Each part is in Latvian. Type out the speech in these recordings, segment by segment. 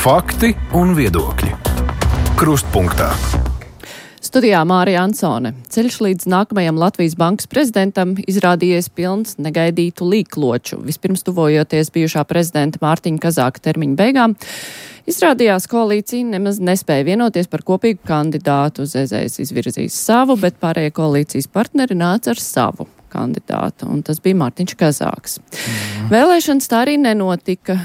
Fakti un viedokļi. Krustpunktā. Studijā Mārija Ansone. Ceļš līdz nākamajam Latvijas bankas prezidentam izrādījies pilns negaidītu līkloču. Vispirms tuvojoties bijušā prezidenta Mārtiņa Kazāka termiņa beigām, izrādījās koalīcija nemaz nespēja vienoties par kopīgu kandidātu. ZZS izvirzīs savu, bet pārējie koalīcijas partneri nāca ar savu kandidātu, un tas bija Mārtiņš Kazāks. Vēlēšanas tā arī nenotika.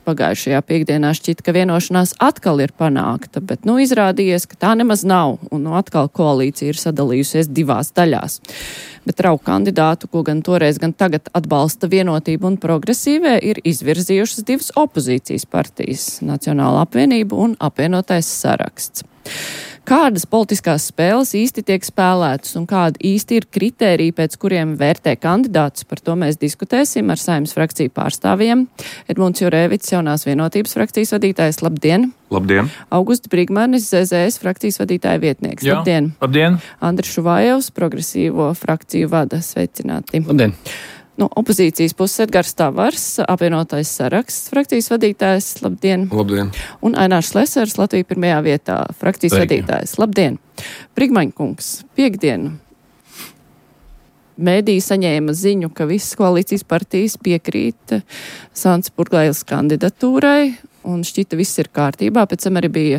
Pagājušajā piekdienā šķita, ka vienošanās atkal ir panākta, bet izrādījies, ka tā nemaz nav, un atkal koalīcija ir sadalījusies divās daļās. Bet trauku kandidātu, ko gan toreiz, gan tagad atbalsta Vienotība un Progresīvie, ir izvirzījušas divas opozīcijas partijas - Nacionāla apvienība un Apvienotais saraksts. Kādas politiskās spēles īsti tiek spēlētas un kādi īsti ir kritēriji, pēc kuriem vērtē kandidātus, par to mēs diskutēsim ar Saeimas frakciju pārstāvjiem. Edmunds Jurēvics, Jaunās vienotības frakcijas vadītājs, labdien! Labdien! Augusts Brigmanis, ZZS frakcijas vadītāja vietnieks. Jā, labdien! Labdien! Andris Šuvājevs, Progresīvo frakciju vada. Sveicināti! Labdien! No opozīcijas puses Edgars Tavars, Apvienotais saraksts frakcijas vadītājs. Labdien! Labdien! Un Ainārs Lesers, Latvija pirmajā vietā, frakcijas vadītājs. Labdien! Brigmaņkungs, piekdienu mēdī saņēma ziņu, ka visas koalīcijas partijas piekrīt Sants Purgailes kandidatūrai, un šķita viss ir kārtībā. Pēc tam arī bija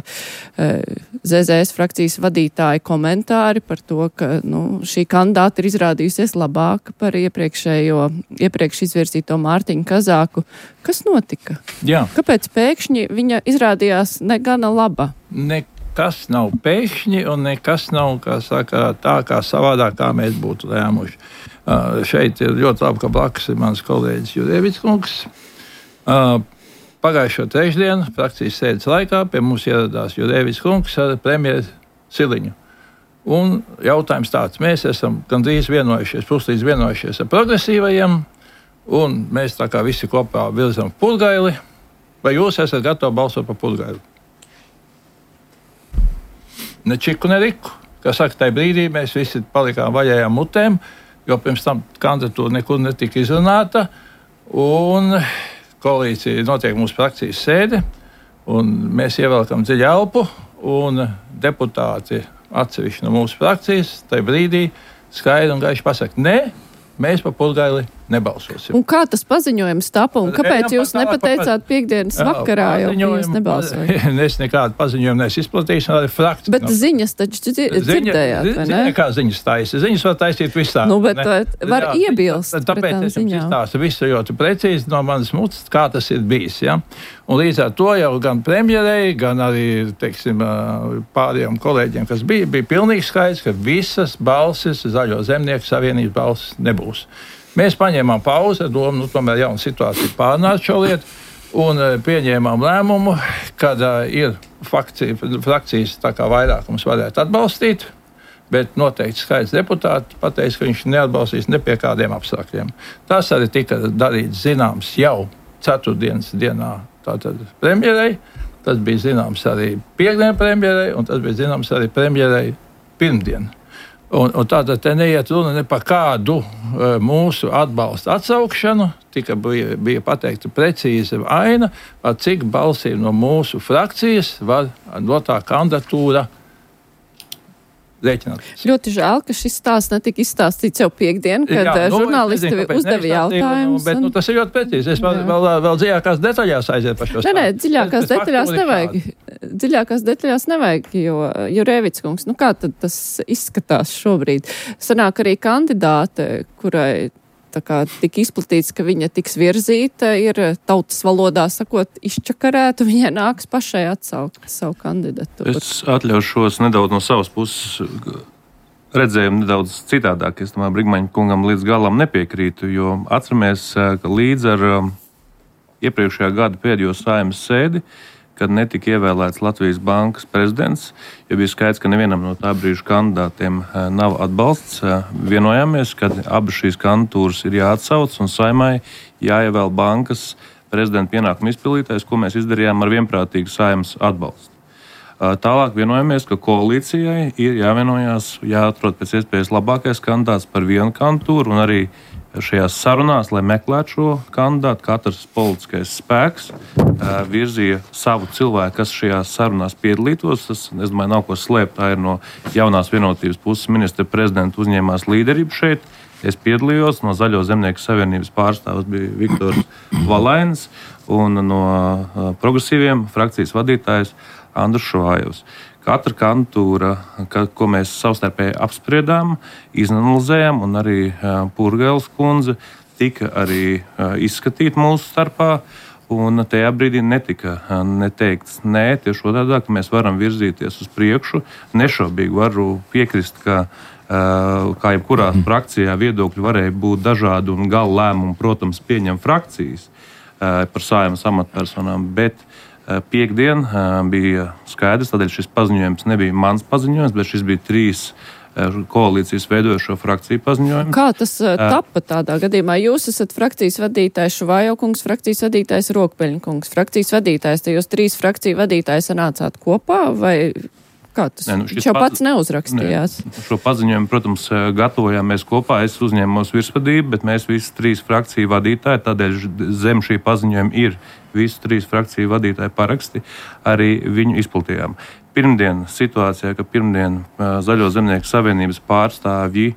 ZZS frakcijas vadītāja komentāri par to, ka šī kandidāta ir izrādījusies labāka par iepriekš izvirzīto Mārtiņu Kazāku. Kas notika? Jā. Kāpēc pēkšņi viņa izrādījās negana laba? Nekas nav pēkšņi un nekas nav, kā saka, tā kā savādāk, kā mēs būtu lēmuši. Šeit ir ļoti labi, ka blakus ir mans kolēģis Jurēvics kungs. Pagājušo trešdienu frakcijas sēdes laikā pie mums ieradās Jurēvics kungs ar premjeru Siliņu. Un jautājums tāds: mēs esam gandrīz puslīdz vienojušies ar progresīvajiem, un mēs tā kā visi kopā virzam Purgaili. Vai jūs esat gatavi balsot par Purgaili? Ne čiku, ne riku. Kā saka, tajā brīdī mēs visi palikām vaļējām mutēm, jo pirms tam kandidatūra nekur netika izrunāta, un koalīcija notiek mūsu frakcijas sēde, un mēs ievelkam dziļu elpu, un deputāti atsevišķi no mūsu frakcijas tajā brīdī skaidri un gaiši pasaka: nē, mēs par Purgaili nebalsosim. Un kā tas paziņojums tapa, un kāpēc jūs nepateicāt piekdienas vakarā, jo jūs nebalsojat? Es nekādu paziņojumu neizplatīšu, arī frakcija. Bet ziņas taču dzirdējāt, vai ne? Kā ziņas taisa? Ziņas var taisīt visā. Bet var iebilst pret tām ziņām. Tāpēc es jums izstāstu visu ļoti precīzi no manas mutes, kā tas ir bijis. Ja? Un līdz ar to jau gan premjerei, gan arī, pārējiem kolēģiem, kas bija pilnīgi skaidrs, ka visas balsis, Zaļo zemnieku savienības balsis nebūs. Mēs paņēmām pauzi, domu, tomēr jauna situācija pārnāt šo lietu, un pieņēmām lēmumu, kad ir frakcijas tā kā vairākums varētu atbalstīt, bet noteikti skaidrs deputāti pateica, ka viņš neatbalstīs ne pie kādiem apstākļiem. Tas arī tika darīts zināms jau ceturtdienas dienā tātad premjerei, tas bija zināms arī piekdien premjerei, un tas bija zināms arī premjerei pirmdien. Un tātad te neiet runa ne par kādu mūsu atbalstu atsaukšanu, bija pateikta precīza aina, par cik balsīm no mūsu frakcijas var no tā kandidatūra rēķināties. Ļoti žēl, ka šis stāsts netika izstāstīts jau piekdien, kad žurnālisti uzdeva jautājumus. Bet tas ir ļoti precīzi. Es vēl dziļākās detaļās aiziet par šo stāstu. Nē, dziļākās detaļās nevajag, jo Jurēvics kungs, kā tad tas izskatās šobrīd? Sanāk arī kandidāte, kurai tika izplatīts, ka viņa tiks virzīta, ir tautas valodā sakot izčakarēta, viņai nāks pašai atsaukt savu kandidatūru. Es atļaušos nedaudz no savas puses redzējumu nedaudz citādāk. Es domāju, Brigmaņa kungam līdz galam nepiekrītu, jo atceramies, ka līdz ar iepriekšējā gada pēdējo Saeimas sēdi, kad netika ievēlēts Latvijas bankas prezidents, jo bija skaidrs, ka nevienam no tā brīža kandidātiem nav atbalsts. Vienojāmies, ka abas šīs kandidatūras ir jāatsauc un Saeimai jāievēl bankas prezidenta pienākumu izpildītājs, ko mēs izdarījām ar vienprātīgu Saeimas atbalstu. Tālāk vienojamies, ka koalīcijai ir jāvienojās, jāatrod pēc iespējas labākais kandidāts par vienu kandidatūru un arī šajās sarunās, lai meklētu šo kandidātu, katrs politiskais spēks virzīja savu cilvēku, kas šajās sarunās piedalītos. Tas, es domāju, nav ko slēpt. Tā ir no jaunās vienotības puses ministra prezidenta uzņēmās līderību šeit. Es piedalījos, no Zaļo zemnieku savienības pārstāvs bija Viktors Valainis un no progresīviem frakcijas vadītājs Andrus Švājovs. Katra kandidatūra, ko mēs savstarpēji apspriedām, izanalizējām, un arī Purgēles kundze tika arī izskatīta mūsu starpā. Un tajā brīdī netika neteikts nē, tieši otrādi, ka mēs varam virzīties uz priekšu. Nešaubīgi varu piekrist, ka kā jebkurā frakcijā viedokļi varēja būt dažādi un gala lēmumu, protams, pieņem frakcijas par Saeimas amatpersonām, bet Piektdien bija skaidrs, tādēļ šis paziņojums nebija mans paziņojums, bet šis bija 3 koalīcijas veidojošo frakciju paziņojums. Kā tas tapa tādā gadījumā? Jūs esat frakcijas vadītājs Šuvajo kungs, frakcijas vadītājs Rokpeļņa kungs, frakcijas vadītājs, te jūs 3 frakciju vadītājs sanācāt kopā, vai kā tas? Viņš jau pats neuzrakstījās. Šo paziņojumu, protams, gatavojām mēs kopā, es uzņēmos virsvadību, bet mēs visi 3 frakciju vadītāji, tādēļ zem šī paziņojuma ir visu 3 frakciju vadītāju paraksti, arī viņu izplatījām. Pirmdien situācijā, ka Zaļo zemnieku savienības pārstāvji,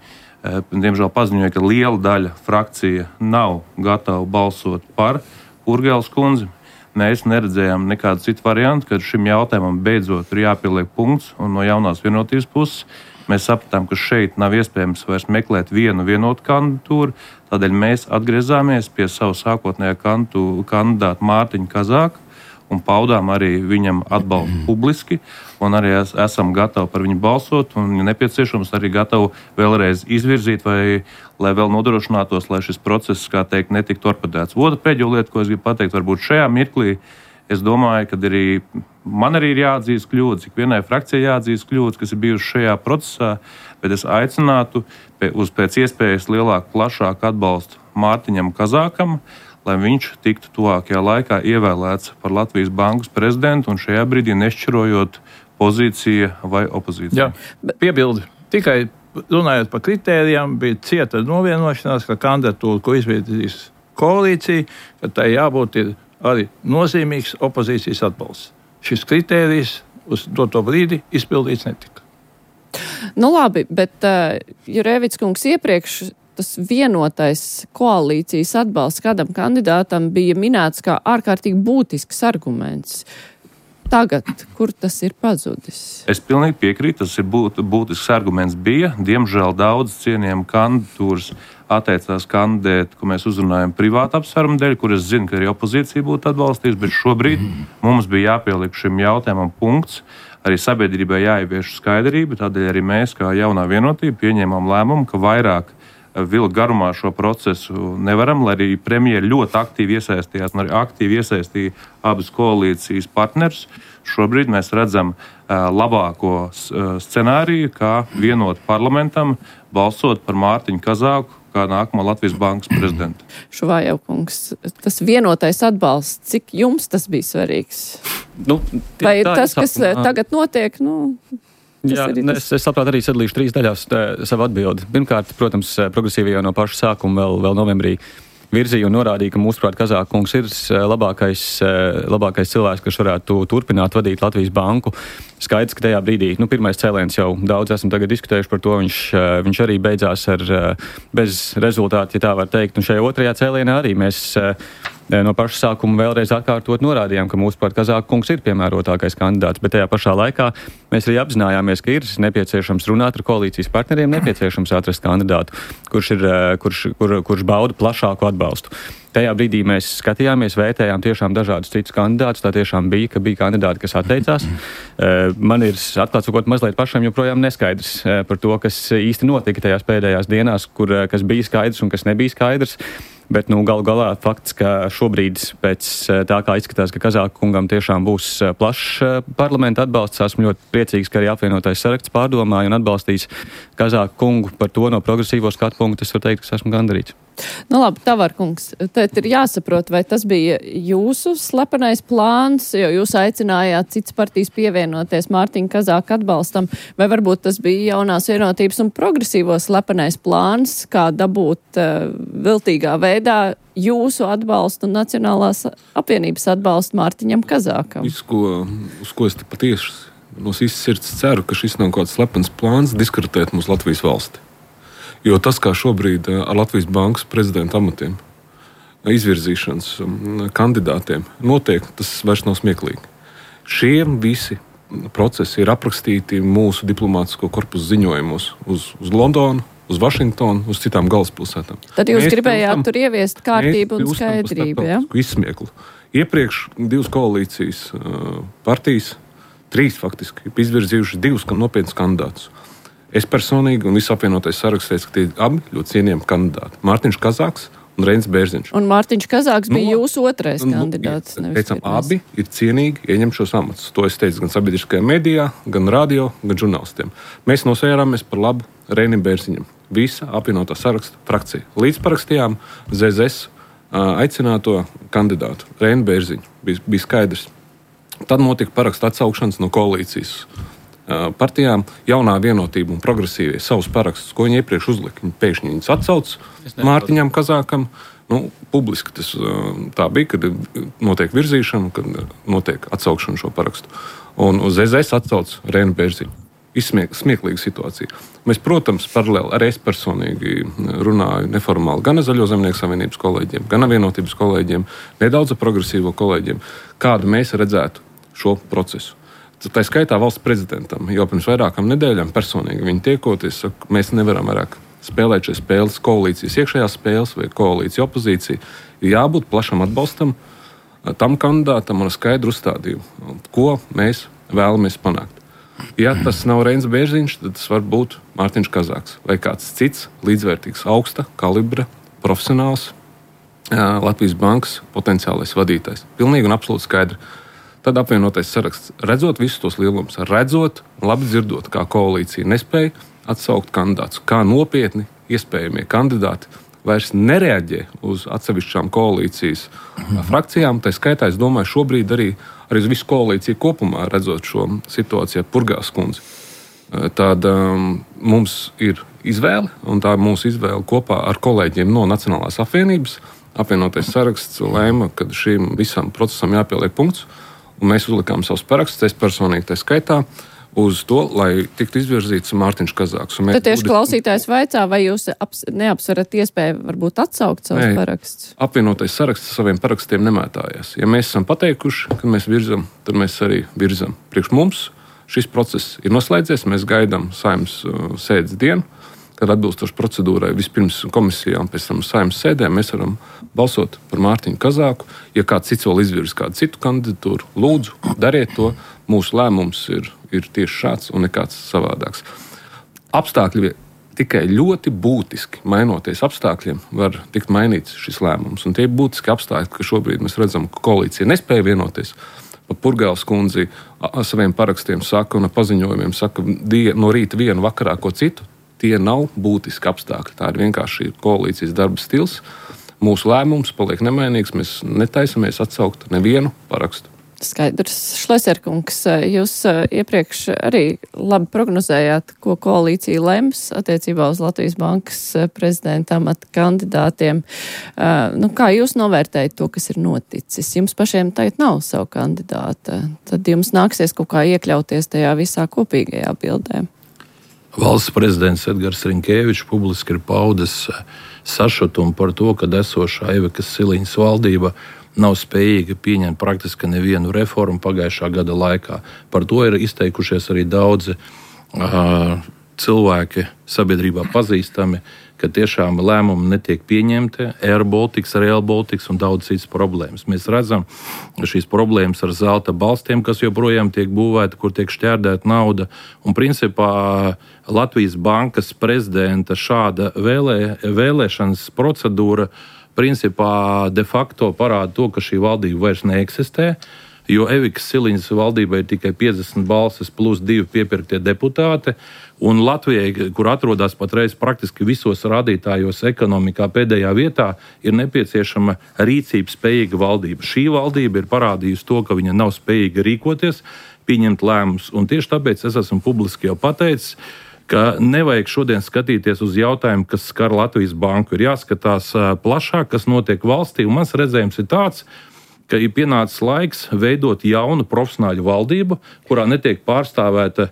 diemžēl paziņoja, ka liela daļa frakcija nav gatava balsot par Purgēles kundzi. Mēs neredzējām nekādu citu variantu, kad šim jautājumam beidzot ir jāpieliek punkts, un no jaunās vienotības puses mēs sapratām, ka šeit nav iespējams vairs meklēt vienotu kandidatūru, tādēļ mēs atgriezāmies pie savu sākotnējā kandidāta Mārtiņa Kazāka un paudām arī viņam atbalstu publiski, un arī esam gatavi par viņu balsot, un, ja nepieciešams, arī gatavi vēlreiz izvirzīt, lai vēl nodrošinātos, lai šis process, kā teikt, netiktu torpedēts. Otra pēdējo lieta, ko es gribu pateikt, varbūt šajā mirklī, es domāju, ka man arī ir jāatzīst kļūdas, ikvienai frakcijai jāatzīst kļūdas, kas ir bijušas šajā procesā, bet es aicinātu uz pēc iespējas lielāku, plašāku atbalstu Mārtiņam Kazākam, lai viņš tiktu tuvākajā laikā ievēlēts par Latvijas bankas prezidentu un šajā brīdī nešķirojot pozīcija vai opozīcija. Jā, piebildi. Tikai runājot par kritērijām, bija cieta novienošanās, ka kandidatūra, ko izvirzīs koalīcija, ka tai jābūt ir arī nozīmīgs opozīcijas atbalsts. Šis kritērijs uz doto brīdi izpildīts netika. Nu labi, bet Jurēvics kungs iepriekš tas vienotais koalīcijas atbalsts kādam kandidātam bija minēts kā ārkārtīgi būtisks arguments. Tagad, kur tas ir pazudis? Es pilnīgi piekrītu, tas ir būtisks arguments bija. Diemžēl daudz cienījami kandidatūras atteicās kandidēt, ko mēs uzrunājam privātu apsvērumu dēļ, kur es zinu, ka arī opozīcija būtu atbalstījusi, bet šobrīd mums bija jāpieliek šim jautājumam punkts. Arī sabiedrībai jāievieš skaidrība, tādēļ arī mēs, kā jaunā vienotība, pieņēmām lēmumu, ka vairāk vilkt garumā šo procesu nevaram, lai arī premjeri ļoti aktīvi iesaistījās un arī aktīvi iesaistīja abas koalīcijas partnerus. Šobrīd mēs redzam labāko scenāriju, kā vienot parlamentam balsot par Mārtiņu Kazāku kā nākamo Latvijas bankas prezidentu. Šuvajo kungs, tas vienotais atbalsts, cik jums tas bija svarīgs? Vai tas, kas tagad notiek, Jā, es labprāt arī sadalīšu 3 daļās savu atbildi. Pirmkārt, protams, progresīvie jau no paša sākuma vēl novembrī virzīja un norādīja, ka mūsuprāt Kazāka kungs ir labākais cilvēks, kas varētu turpināt vadīt Latvijas banku. Skaidrs, ka tajā brīdī, pirmais cēliens jau daudz esam tagad diskutējuši par to, viņš arī beidzās bez rezultātu, ja tā var teikt. Un šajā otrajā cēlienā arī mēs no paša sākuma vēlreiz atkārtot norādījām, ka mūsuprāt Kazāka kungs ir piemērotākais kandidāts, bet tajā pašā laikā mēs arī apzinājāmies, ka ir nepieciešams runāt ar koalīcijas partneriem, nepieciešams atrast kandidātu, kurš bauda plašāku atbalstu. Tajā brīdī mēs skatījāmies, vērtējām tiešām dažādus citus kandidātus. Tā tiešām bija kandidāti, kas atteicās. Man ir, atklāt sakot, mazliet pašam joprojām neskaidrs par to, kas īsti notika tajās pēdējās dienās, kas bija skaidrs un kas nebija skaidrs. Bet galu galā fakts, ka šobrīd pēc tā kā izskatās, ka Kazāka kungam tiešām būs plašs parlamenta atbalsts, esmu ļoti priecīgs, ka arī apvienotais saraksts pārdomāja un atbalstīs Kazāka kungu. Par to no progresīvo skatu punktu es varu teikt, ka esmu gandarīts. Nu labi, Tavarkungs, tad ir jāsaprot, vai tas bija jūsu slepenais plāns, jo jūs aicinājāt citas partijas pievienoties Mārtiņa Kazāka atbalstam, vai varbūt tas bija jaunās vienotības un progresīvo slepenais plāns, kā dabūt viltīgā veidā jūsu atbalstu un Nacionālās apvienības atbalstu Mārtiņam Kazākam? Viss, uz ko es patiesi no sirds ceru, ka šis nav kāds slepens plāns diskreditēt mūsu Latvijas valsti. Jo tas, kā šobrīd ar Latvijas bankas prezidenta amatiem izvirzīšanas kandidātiem notiek, tas vairs nav smieklīgi. Šie visi procesi ir aprakstīti mūsu diplomātisko korpusu ziņojumos uz Londonu, uz Vašingtonu, uz citām galvaspilsētām. Tad jūs gribējāt tur ieviest kārtību un skaidrību, ja? Izsmieklu. Iepriekš 2 koalīcijas partijas, 3 faktiski, izvirzījuši 2 nopietnus kandidātus. Es personīgi un visu apvienotais saraksts teicu, ka tie abi ļoti cienījami kandidāti. Mārtiņš Kazāks un Reinis Bērziņš. Un Mārtiņš Kazāks bija jūsu otrais kandidāts. Teicām, abi ir cienīgi ieņemt šos amatus. To es teicu gan sabiedriskajā medijā, gan radio, gan žurnālistiem. Mēs nosvērāmies par labu Reinim Bērziņam. Visa apvienotā saraksta frakcija. Līdz parakstījām ZZS aicināto kandidātu Reini Bērziņu. Bija skaidrs. Tad notika parakstu atsaukšanas no koalīcijas partijām. Jaunā vienotība un progresīvie savus parakstus, ko viņi iepriekš uzlika, viņi pēkšņi viņus atsauc Mārtiņam Kazākam. Publiski tas tā bija, kad notiek virzīšana, kad notiek atsaukšana šo parakstu. Un uz ZZS atsauc Reini Bērziņu. Smieklīga situācija. Mēs, protams, paralēli arī es personīgi runāju neformāli gan ar Zaļo zemnieku savienības kolēģiem, gan ar vienotības kolēģiem, nedaudz ar progresīvo kolēģiem, kādu mēs redzētu šo procesu. Tā skaitā valsts prezidentam jau pirms vairākām nedēļām personīgi viņi tiekoties, saka, mēs nevaram vairāk spēlēt šīs spēles, koalīcijas iekšējās spēles vai koalīcija opozīcija. Ir jābūt plašam atbalstam tam kandidātam un skaidru uzstādījumu, ko mēs vēlamies panākt. Ja tas nav Reinis Bērziņš, tad tas var būt Mārtiņš Kazāks vai kāds cits līdzvērtīgs augsta kalibra profesionāls Latvijas bankas potenciālais vadītājs. Pilnīgi un absolūti skaidri. Tad apvienotais saraksts, redzot visus tos lielumus, redzot un labi dzirdot, kā koalīcija nespēja atsaukt kandidātus, kā nopietni iespējamie kandidāti vairs nereaģē uz atsevišķām koalīcijas frakcijām. Tā skaitā, es domāju, šobrīd arī uz visu koalīciju kopumā, redzot šo situāciju ar Purgās kundzi. Tad mums ir izvēle, un tā ir mūsu izvēle kopā ar kolēģiem no Nacionālās apvienības. Apvienotais saraksts lēma, ka šim visam procesam jāpieliek punkts. Un mēs uzlikām savus parakstus, es personīgi tā skaitā, uz to, lai tiktu izvirzīts Mārtiņš Kazāks. Tad tieši klausītājs vaicā, vai jūs neapsverat iespēju varbūt atsaukt savus parakstus? Apvienotais saraksts saviem parakstiem nemētājās. Ja mēs esam pateikuši, ka mēs virzam, tad mēs arī virzam. Priekš mums šis process ir noslēdzies, mēs gaidām Saeimas sēdes dienu, kad atbilstoši procedūrai vispirms komisijā un pēc tam Saeimas sēdē mēs varam balsot par Mārtiņu Kazāku. Ja kāds cits vēl izvirz kādu citu kandidatūru, lūdzu, dariet to. Mūsu lēmums ir tieši šāds un nekāds savādāks. Apstākļi tikai ļoti būtiski mainoties apstākļiem var tikt mainīts šis lēmums. Un tie ir būtiski apstākļi, ka šobrīd mēs redzam, ka koalīcija nespēja vienoties. Purgāls kundzi saviem parakstiem saka un paziņojumiem saka no rīta vienu, vakarā ko citu. Tie nav būtiski apstākļi. Tā ir vienkārši koalīcijas darba stils. Mūsu lēmums paliek nemainīgs. Mēs netaisamies atsaukt nevienu parakstu. Skaidrs. Šleserkungs, jūs iepriekš arī labi prognozējāt, ko koalīcija lems attiecībā uz Latvijas bankas prezidenta amata kandidātiem. Kā jūs novērtējat to, kas ir noticis? Jums pašiem tagad nav savu kandidāta. Tad jums nāksies kaut kā iekļauties tajā visā kopīgajā bildē. Valsts prezidents Edgars Rinkēvičs publiski ir paudis sašutumu par to, ka esošā Ivekas Siliņas valdība nav spējīga pieņemt praktiski nevienu reformu pagājušā gada laikā. Par to ir izteikušies arī daudzi cilvēki sabiedrībā pazīstami, ka tiešām lēmumi netiek pieņemti, Air Baltics, Rail Baltics un daudz citas problēmas. Mēs redzam šīs problēmas ar zelta balstiem, kas joprojām tiek būvēti, kur tiek šķērdēta nauda. Un principā Latvijas bankas prezidenta šāda vēlēšanas procedūra principā de facto parāda to, ka šī valdība vairs neeksistē, jo Evikas Siliņas valdībai ir tikai 50 balsis plus 2 piepirktie deputāti, un Latvijai, kur atrodas patreiz praktiski visos rādītājos ekonomikā pēdējā vietā, ir nepieciešama rīcības spējīga valdība. Šī valdība ir parādījusi to, ka viņa nav spējīga rīkoties, pieņemt lēmumus, un tieši tāpēc es esmu publiski jau pateicis, ka nevajag šodien skatīties uz jautājumu, kas skar Latvijas banku. Ir jāskatās plašāk, kas notiek valstī, un mans redzējums ir tāds, ka ir pienācis laiks veidot jaunu profesionāļu valdību, kurā netiek pārstāvēta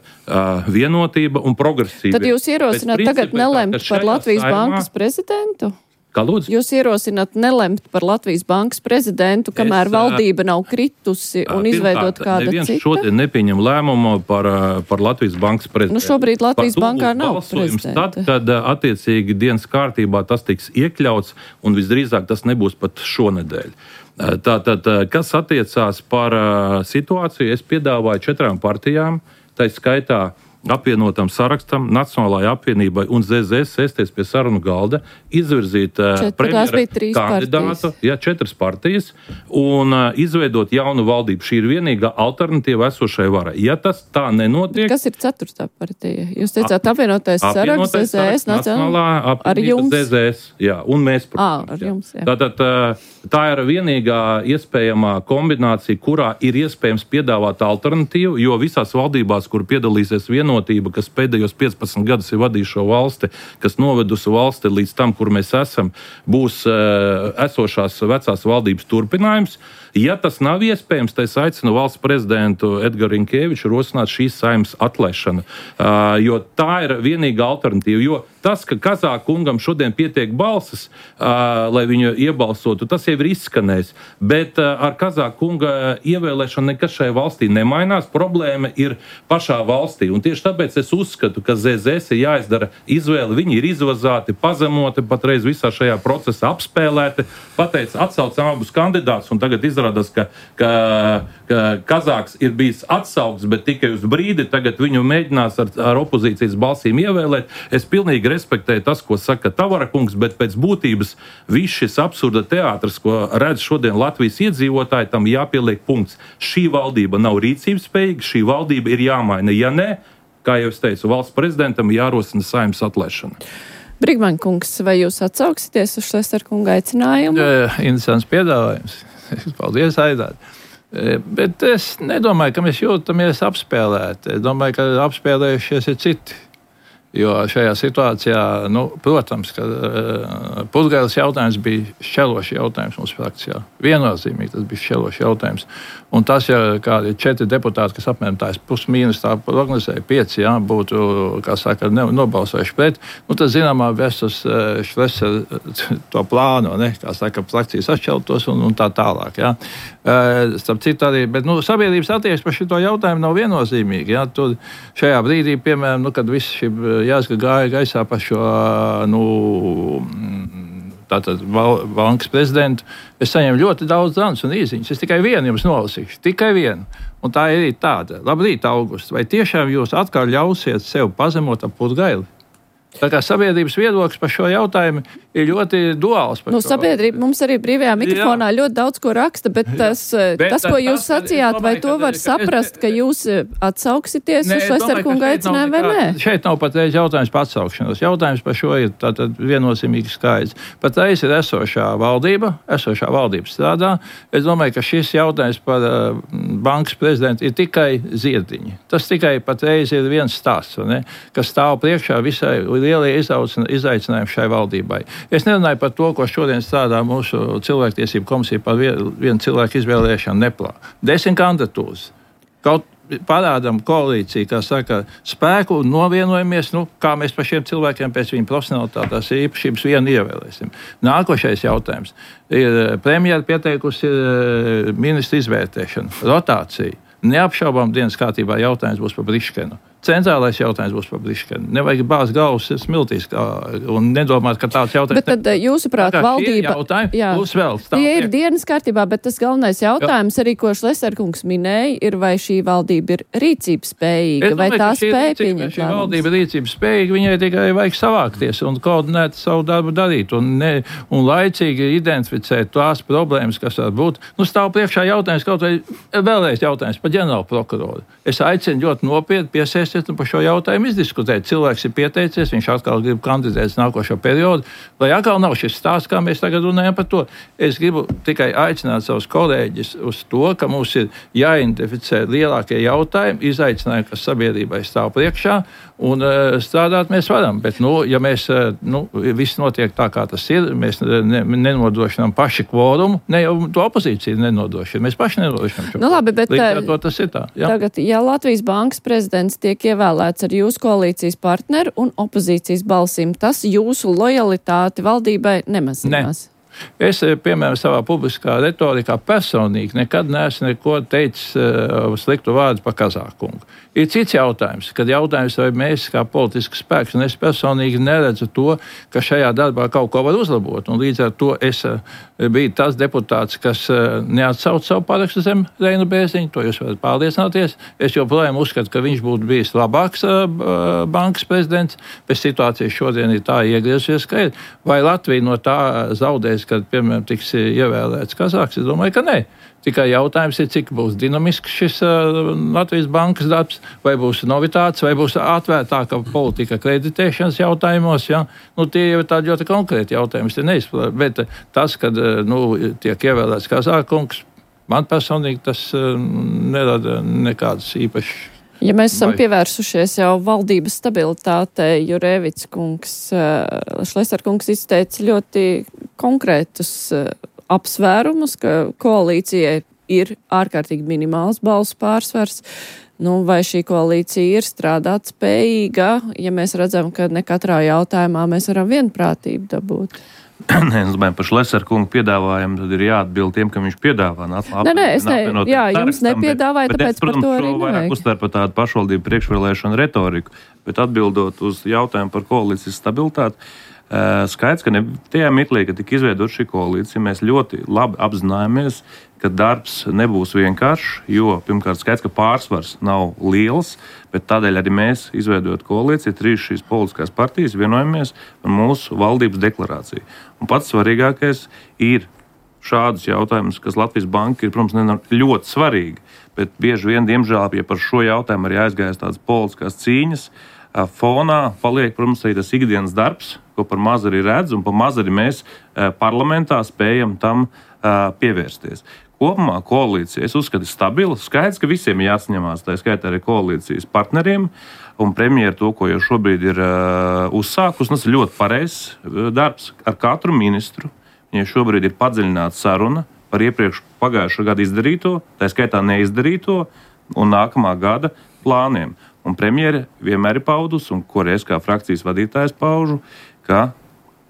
vienotība un progresība. Tad jūs ierosināt tagad nelemt par Latvijas bankas prezidentu? Kā lūdzu? Jūs ierosināt nelemt par Latvijas bankas prezidentu, kamēr valdība nav kritusi un izveidot kāda cita? Neviens šodien nepieņem lēmumu par Latvijas bankas prezidentu. Nu šobrīd Latvijas bankā nav prezidenta. Tad, kad attiecīgi dienas kārtībā tas tiks iekļauts, un visdrīzāk tas nebūs pat šonedēļ. Tātad, kas attiecās par situāciju, es piedāvāju 4 partijām, tā skaitā apvienotam sarakstam, Nacionālajai apvienībai un ZZS sēsties pie sarunu galda, izvirzīt premjera kandidātu, 4 partijas, un izveidot jaunu valdību. Šī ir vienīgā alternatīva esošai varai. Ja tas tā nenotiek... Kas ir 4. partija? Jūs teicāt apvienotais saraksts, ZZS, Nacionālā apvienība, ZZS, jā, un mēs, protams. Ar jums, jā. Tātad tā ir vienīgā iespējamā kombinācija, kurā ir iespējams piedāvāt alternatīvu, jo visās valdībās, kur piedalīsies vienotība, kas pēdējos 15 gadus ir vadījuši šo valsti, kas novedusi valsti līdz tam, kur mēs esam, būs esošās vecās valdības turpinājums. Ja tas nav iespējams, tad es aicinu valsts prezidentu Edgars Rinkēviču rosināt šīs Saeimas atlaišanu, jo tā ir vienīgā alternatīva. Jo tas, ka Kazāka kungam šodien pietiek balsis, lai viņu iebalsotu, tas jau ir izskanējis. Bet ar Kazāka kunga ievēlēšanu nekas šai valstī nemainās. Problēma ir pašā valstī. Un tieši tāpēc es uzskatu, ka ZZS ir jāizdara izvēle. Viņi ir izvazāti, pazemoti, patreiz visā šajā procesā apspēlēti. Pateic, atsaucam abus kandidātus, un tagad izrādās, ka Kazāks ir bijis atsaukts, bet tikai uz brīdi. Tagad viņu mēģinās ar opozīcijas balsīm ievēlēt. Es pilnīgi respektēju tas, ko saka Tavara kungs, bet pēc būtības viss šis absurda teātris, ko redz šodien Latvijas iedzīvotāji, tam jāpieliek punkts. Šī valdība nav rīcības spējīga, šī valdība ir jāmaina. Ja ne, kā jau es teicu, valsts prezidentam jārosina Saeimas atlaišana. Brigmaņa kungs, vai jūs atsauksieties uz Šlesner kunga aicinājumu? Interesants piedāvājums. Paldies, Aidāt. Bet es nedomāju, ka mēs jūtamies apspēlēti. Es domāju, ka apspēlējušies ir citi. Jo šajā situācijā, protams, ka Putgailes jautājums bija šķelošs jautājums mūsu frakcijā. Viennozīmīgi tas bija šķelošs jautājums. Un tas, ja kādi 4 deputāti, kas apmēram tās pusmīnus tā prognozēja, 5, būtu, kā saka, nobalsojuši pret, tad zināmā vestus Šlesner to plāno, kā saka, frakcijas atšķeltos un tā tālāk. Starp citu arī, bet sabiedrības attieksme par šito jautājumu nav viennozīmīga. Tur šajā brīdī, piemēram, kad viss šī jāsaka gāja gaisā par šo, tātad bankas prezidentu, es saņemu ļoti daudz zvanus un īsiņas. Es tikai vienu jums nolasīšu, tikai vienu. Un tā ir tāda. Labrīt, Augusts, vai tiešām jūs atkal ļausiet sev pazemot ap Putgaili? Tā kā sabiedrības viedoklis par šo jautājumu ir ļoti duāls. Sabiedrība mums arī brīvajā mikrofonā ļoti daudz ko raksta, bet tas, ko jūs sacījāt, vai to var saprast, ka jūs atsauksieties uz Šlesner kunga aicinājumu vai nē? Šeit nav patreiz jautājums par atsaukšanos. Jautājums par šo ir tātad viennozīmīgi skaidrs. Patreiz ir esošā valdība strādā. Es domāju, ka šis jautājums par bankas prezidentu ir tikai ziediņi. Tas tikai patreiz ir viens stāsts, kas stāv priekšā visai lielie izaicinājumi šai valdībai. Es nerunāju par to, ko šodien strādā mūsu cilvēktiesību komisija par vienu cilvēku izvēlēšanu neplā. 10 kandidatūras. Kaut parādām koalīciju, kā saka, spēku un novienojamies, kā mēs par šiem cilvēkiem pēc viņu profesionalitātās īpašības vienu ievēlēsim. Nākošais jautājums. Ir premjera pieteikusi ministru izvērtēšanu, rotāciju. Neapšaubām dienas kārtībā jautājums būs par Briškenu. centrālais jautājums būs par Briškeni. Nevajag bāzt galvas smiltīs un nedomāt, ka tāds jautājums. Bet tad, jūsuprāt, valdība... Būs vēl. Tie ir dienas kārtībā, bet tas galvenais jautājums arī, ko Šleserkungs minēja, ir, vai šī valdība ir rīcības spējīga, vai tā spēja pieņemt lēmumus. Šī valdība ir rīcības spējīga, viņai tikai vajag savākties un koordinēt savu darbu darīt un laicīgi identificēt tās problēmas, kas var būt. Stāv priekšā jautājums, kaut vai vēlreiz jautājums par ģenerālu prokuroru. Es aicinu ļoti nopietni piesēsties un par šo jautājumu izdiskutēt. Cilvēks ir pieteicies, viņš atkal grib kandidēt nākošo periodu, lai atkal nav šis stāsts, kā mēs tagad runājam par to. Es gribu tikai aicināt savus kolēģis uz to, ka mums ir jāidentificē lielākie jautājumi, izaicinājumi, kas sabiedrībai stāv priekšā, un strādāt mēs varam. Bet, ja mēs, viss notiek tā, kā tas ir, mēs nenodrošinām paši kvorumu, ne jau to opozīciju nenodrošinām, mēs paši nenodrošinām šo. Labi, bet līdz ar to tas ir tā. Jā. Tagad, ja Latvijas Bankas prezidents tiek ievēlēts ar jūsu koalīcijas partneru un opozīcijas balsīm, tas jūsu lojalitāti valdībai nemazinās? Es, piemēram, savā publiskā retorikā personīgi nekad neesmu neko teicis sliktu vārdu par Kazākungu. Ir cits jautājums, kad jautājums, vai mēs kā politisks spēks, un es personīgi neredzu to, ka šajā darbā kaut ko var uzlabot. Un līdz ar to es biju tas deputāts, kas neatsauc savu parakstu zem Reina Bērziņa, to jūs varat pārliecināties. Es joprojām uzskatu, ka viņš būtu bijis labāks bankas prezidents, bet situācija šodien ir tā iegriezusies, ka ir. Vai Latvija no tā zaudēs, kad, piemēram, tiks ievēlēts Kazāks? Es domāju, ka nē. Tikai jautājums ir, cik būs dinamisks šis Latvijas bankas darbs, vai būs novitāts, vai būs atvērtāka politika kreditēšanas jautājumos. Ja? Tie jau ir tādi ļoti konkrēti jautājumi, bet tas, kad tiek ievēlēts Kazākungs, man personīgi tas nerada nekādas īpašas. Ja mēs esam pievērsušies jau valdības stabilitātei, Jurēvics kungs, Šleserkungs izteica ļoti konkrētus apsvērumus, ka koalīcijai ir ārkārtīgi minimāls balsu pārsvars. Vai šī koalīcija ir strādāt spējīga, ja mēs redzam, ka ne katrā jautājumā mēs varam vienprātību dabūt? Nē, es domāju, par Šleserkungu piedāvājumu tad ir jāatbild tiem, ka viņš piedāvā. Jums nepiedāvāja, tāpēc par to arī nevajag. Vairāk uztver par tādu pašvaldību priekšvēlēšanu retoriku, bet atbildot uz jautājumu par koalīcijas stabilitāti, skaidrs, ka ne tajā mirklī, kad tika izveidot šī koalīcija, mēs ļoti labi apzināmies, ka darbs nebūs vienkāršs, jo pirmkārt skaidrs, ka pārsvars nav liels, bet tādēļ arī mēs, izveidojot koalīciju, trīs šīs politiskās partijas, vienojamies par mūsu valdības deklarāciju. Un pats svarīgākais ir šādus jautājumus, kas Latvijas Banka ir, protams, ļoti svarīgi, bet bieži vien, diemžēl, ja par šo jautājumu arī aizgājas tādas politiskās cīņas, fonā paliek, protams, arī tas ikdienas darbs, ko par maz arī redz, un par maz arī mēs parlamentā spējam tam pievērsties. Kopumā koalīcija, es uzskatu, ir stabila. Skaidrs, ka visiem ir jāsaņemās, tā skaitā arī koalīcijas partneriem, un premjera to, ko jau šobrīd ir uzsākus, tas ir ļoti pareizs darbs ar katru ministru. Viņai šobrīd ir padziļināta saruna par iepriekš pagājušā gada izdarīto, tā skaitā neizdarīto, un nākamā gada plāniem. Un premjere vienmēr ir paudusi, un ko es kā frakcijas vadītājs paužu, ka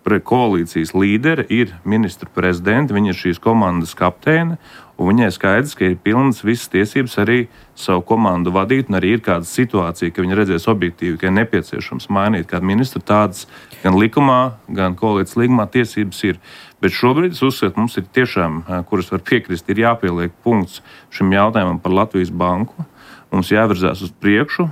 koalīcijas līderi ir ministru prezidenti, viņa ir šīs komandas kapteine, un viņai skaidrs, ka ir pilnas visas tiesības arī savu komandu vadīt, un arī ir kāda situācija, ka viņa redzēs objektīvi, ka ir nepieciešams mainīt kādu ministru, tādas gan likumā, gan koalīcijas līgumā tiesības ir. Bet šobrīd es uzskatu, mums ir tiešām, kuras var piekrist, ir jāpieliek punkts šim jautājumam par Latvijas banku. Mums jāvirzās uz priekšu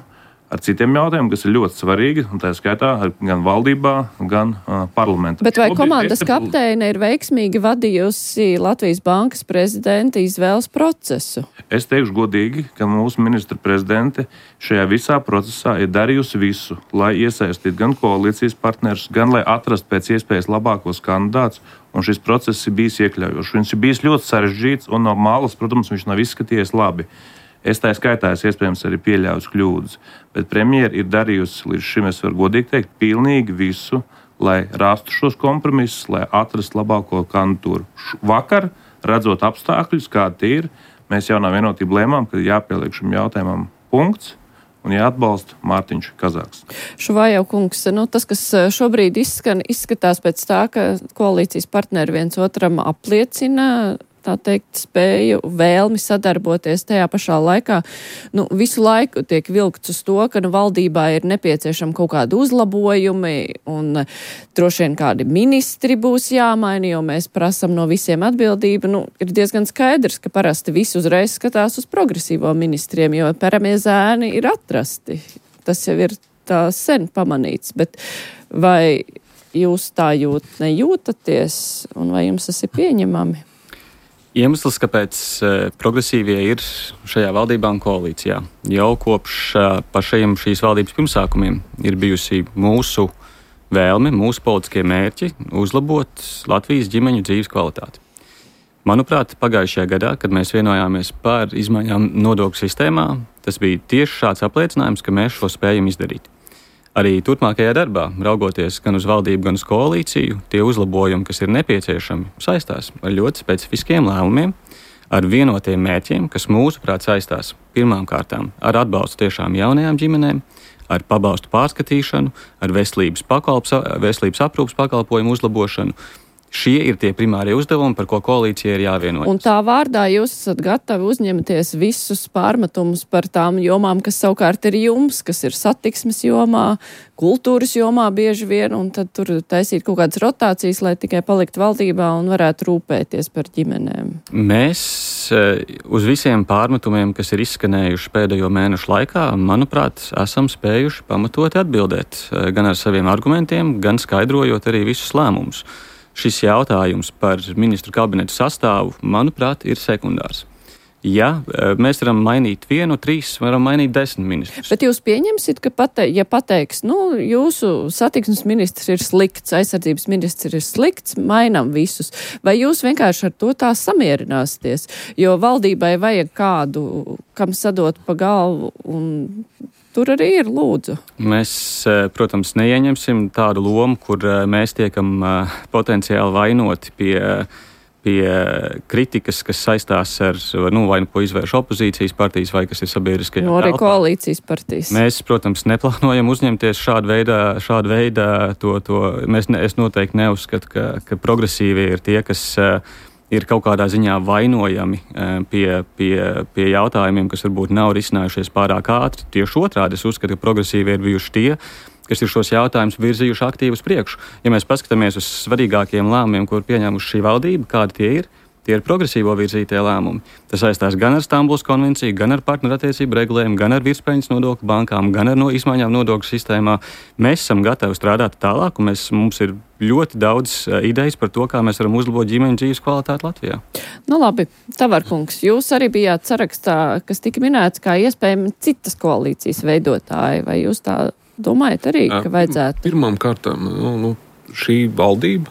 ar citiem jautājumiem, kas ir ļoti svarīgi, un tā skaitā gan valdībā, gan parlamentā. Bet vai komandas kapteine ir veiksmīgi vadījusi Latvijas Bankas prezidenta izvēles procesu? Es teikšu godīgi, ka mūsu ministra prezidente šajā visā procesā ir darījusi visu, lai iesaistītu gan koalīcijas partnerus, gan lai atrastu pēc iespējas labākos kandidātus, un šis process ir bijis iekļaujošs. Viņš ir bijis ļoti sarežģīts, un no malas, protams, viņš nav izskatījies labi. Es tā skaitā, iespējams, arī pieļauju kļūdas, bet premjera ir darījusi līdz šim, es varu godīgi teikt, pilnīgi visu, lai rastu šos kompromisus, lai atrastu labāko kandidatūru. Vakar, redzot apstākļus, kādi tie ir, mēs jaunā vienotība lēmām, ka jāpieliek šim jautājumam punkts un jāatbalsta Mārtiņš Kazāks. Šuvājau kungs, tas, kas šobrīd izskatās pēc tā, ka koalīcijas partneri viens otram apliecina tā teikt, spēju, vēlmi sadarboties tajā pašā laikā. Visu laiku tiek vilkts uz to, ka valdībā ir nepieciešama kaut kāda uzlabojumi un droši vien kādi ministri būs jāmaina, jo mēs prasam no visiem atbildību. Ir diezgan skaidrs, ka parasti visi uzreiz skatās uz progresīvo ministriem, jo peramie zēni ir atrasti. Tas jau ir tā sen pamanīts, bet vai jūs tā nejūtaties, un vai jums tas ir pieņemami? Iemesls, kāpēc progresīvie ir šajā valdībā un koalīcijā, jau kopš pašajiem šīs valdības pirmsākumiem ir bijusi mūsu vēlme, mūsu politiskie mērķi uzlabot Latvijas ģimeņu dzīves kvalitāti. Manuprāt, pagājušajā gadā, kad mēs vienojāmies par izmaiņām nodokļu sistēmā, tas bija tieši šāds apliecinājums, ka mēs šo spējam izdarīt. Arī turpmākajā darbā, raugoties gan uz valdību, gan uz koalīciju, tie uzlabojumi, kas ir nepieciešami, saistās ar ļoti specifiskiem lēmumiem, ar vienotiem mērķiem, kas mūsuprāt saistās pirmām kārtām ar atbalstu tiešām jaunajām ģimenēm, ar pabalstu pārskatīšanu, ar veselības aprūpes pakalpojumu uzlabošanu. Šie ir tie primārie uzdevumi, par ko koalīcija ir jāvienojas. Un tā vārdā jūs esat gatavi uzņemties visus pārmetumus par tām jomām, kas savukārt ir jums, kas ir satiksmes jomā, kultūras jomā bieži vien, un tad tur taisīt kaut kādas rotācijas, lai tikai palikt valdībā un varētu rūpēties par ģimenēm. Mēs uz visiem pārmetumiem, kas ir izskanējuši pēdējo mēnešu laikā, manuprāt, esam spējuši pamatoti atbildēt gan ar saviem argumentiem, gan skaidrojot arī visus lēmumus. Šis jautājums par ministru kabinetu sastāvu, manuprāt, ir sekundārs. Ja mēs varam mainīt 1, 3, varam mainīt 10 ministrus. Bet jūs pieņemsit, ka pateiks, jūsu satiksmes ministrs ir slikts, aizsardzības ministrs ir slikts, mainām visus. Vai jūs vienkārši ar to tā samierināsieties? Jo valdībai vajag kādu, kam sadot pa galvu, un tur arī ir, lūdzu. Mēs, protams, neieņemsim tādu lomu, kur mēs tiekam potenciāli vainoti pie kritikas, kas saistās ar, vai ko izvērš opozīcijas partijas, vai kas ir sabiedriskajā telpā. Arī koalīcijas partijas. Mēs, protams, neplānojam uzņemties šādu veidā to. Es noteikti neuzskatu, ka progresīvie ir tie, kas ir kaut kādā ziņā vainojami pie jautājumiem, kas varbūt nav risinājušies pārāk ātri. Tieši otrādi, es uzskatu, ka progresīvi ir bijuši tie, kas ir šos jautājumus virzījuši aktīvi uz priekšu. Ja mēs paskatāmies uz svarīgākiem lēmumiem, ko ir pieņēmuši šī valdība, kādi tie ir progresīvo virzītie lēmumi. Tas saistās gan ar Stambulas konvenciju, gan ar partnerattiecību regulējumu, gan ar virspeļņas nodokļu bankām, gan ar izmaiņām nodokļu sistēmā. Mēs esam gatavi strādāt tālāk, un mums ir ļoti daudz idejas par to, kā mēs varam uzlabot ģimeņu dzīves kvalitāti Latvijā. Labi, Tavarkungs, jūs arī bijāt sarakstā, kas tika minēts kā iespējami citas koalīcijas veidotāji, vai jūs tā domājat arī, ka vajadzētu? Pirmām kārtām, šī valdība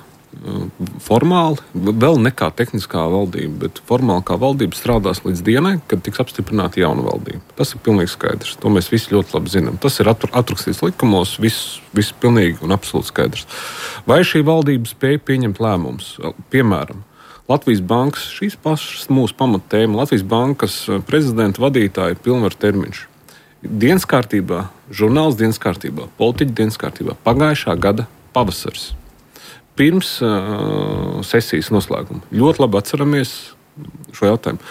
formāli, vēl ne kā tehniskā valdība, bet formāli kā valdība strādās līdz dienai, kad tiks apstiprināta jauna valdība. Tas ir pilnīgi skaidrs. To mēs visi ļoti labi zinām. Tas ir atrakstīts likumos, viss pilnīgi un absolūti skaidrs. Vai šī valdība spēja pieņemt lēmumus? Piemēram, Latvijas bankas, šīs pašas mūsu pamattēma, Latvijas bankas prezidenta vadītāja pilnvaru termiņš. Dienas kārtībā, žurnāls dienas kārtībā, politiķi dienas kārtībā, pagājušā gada pavasaris. Pirms sesijas noslēguma. Ļoti labi atceramies šo jautājumu.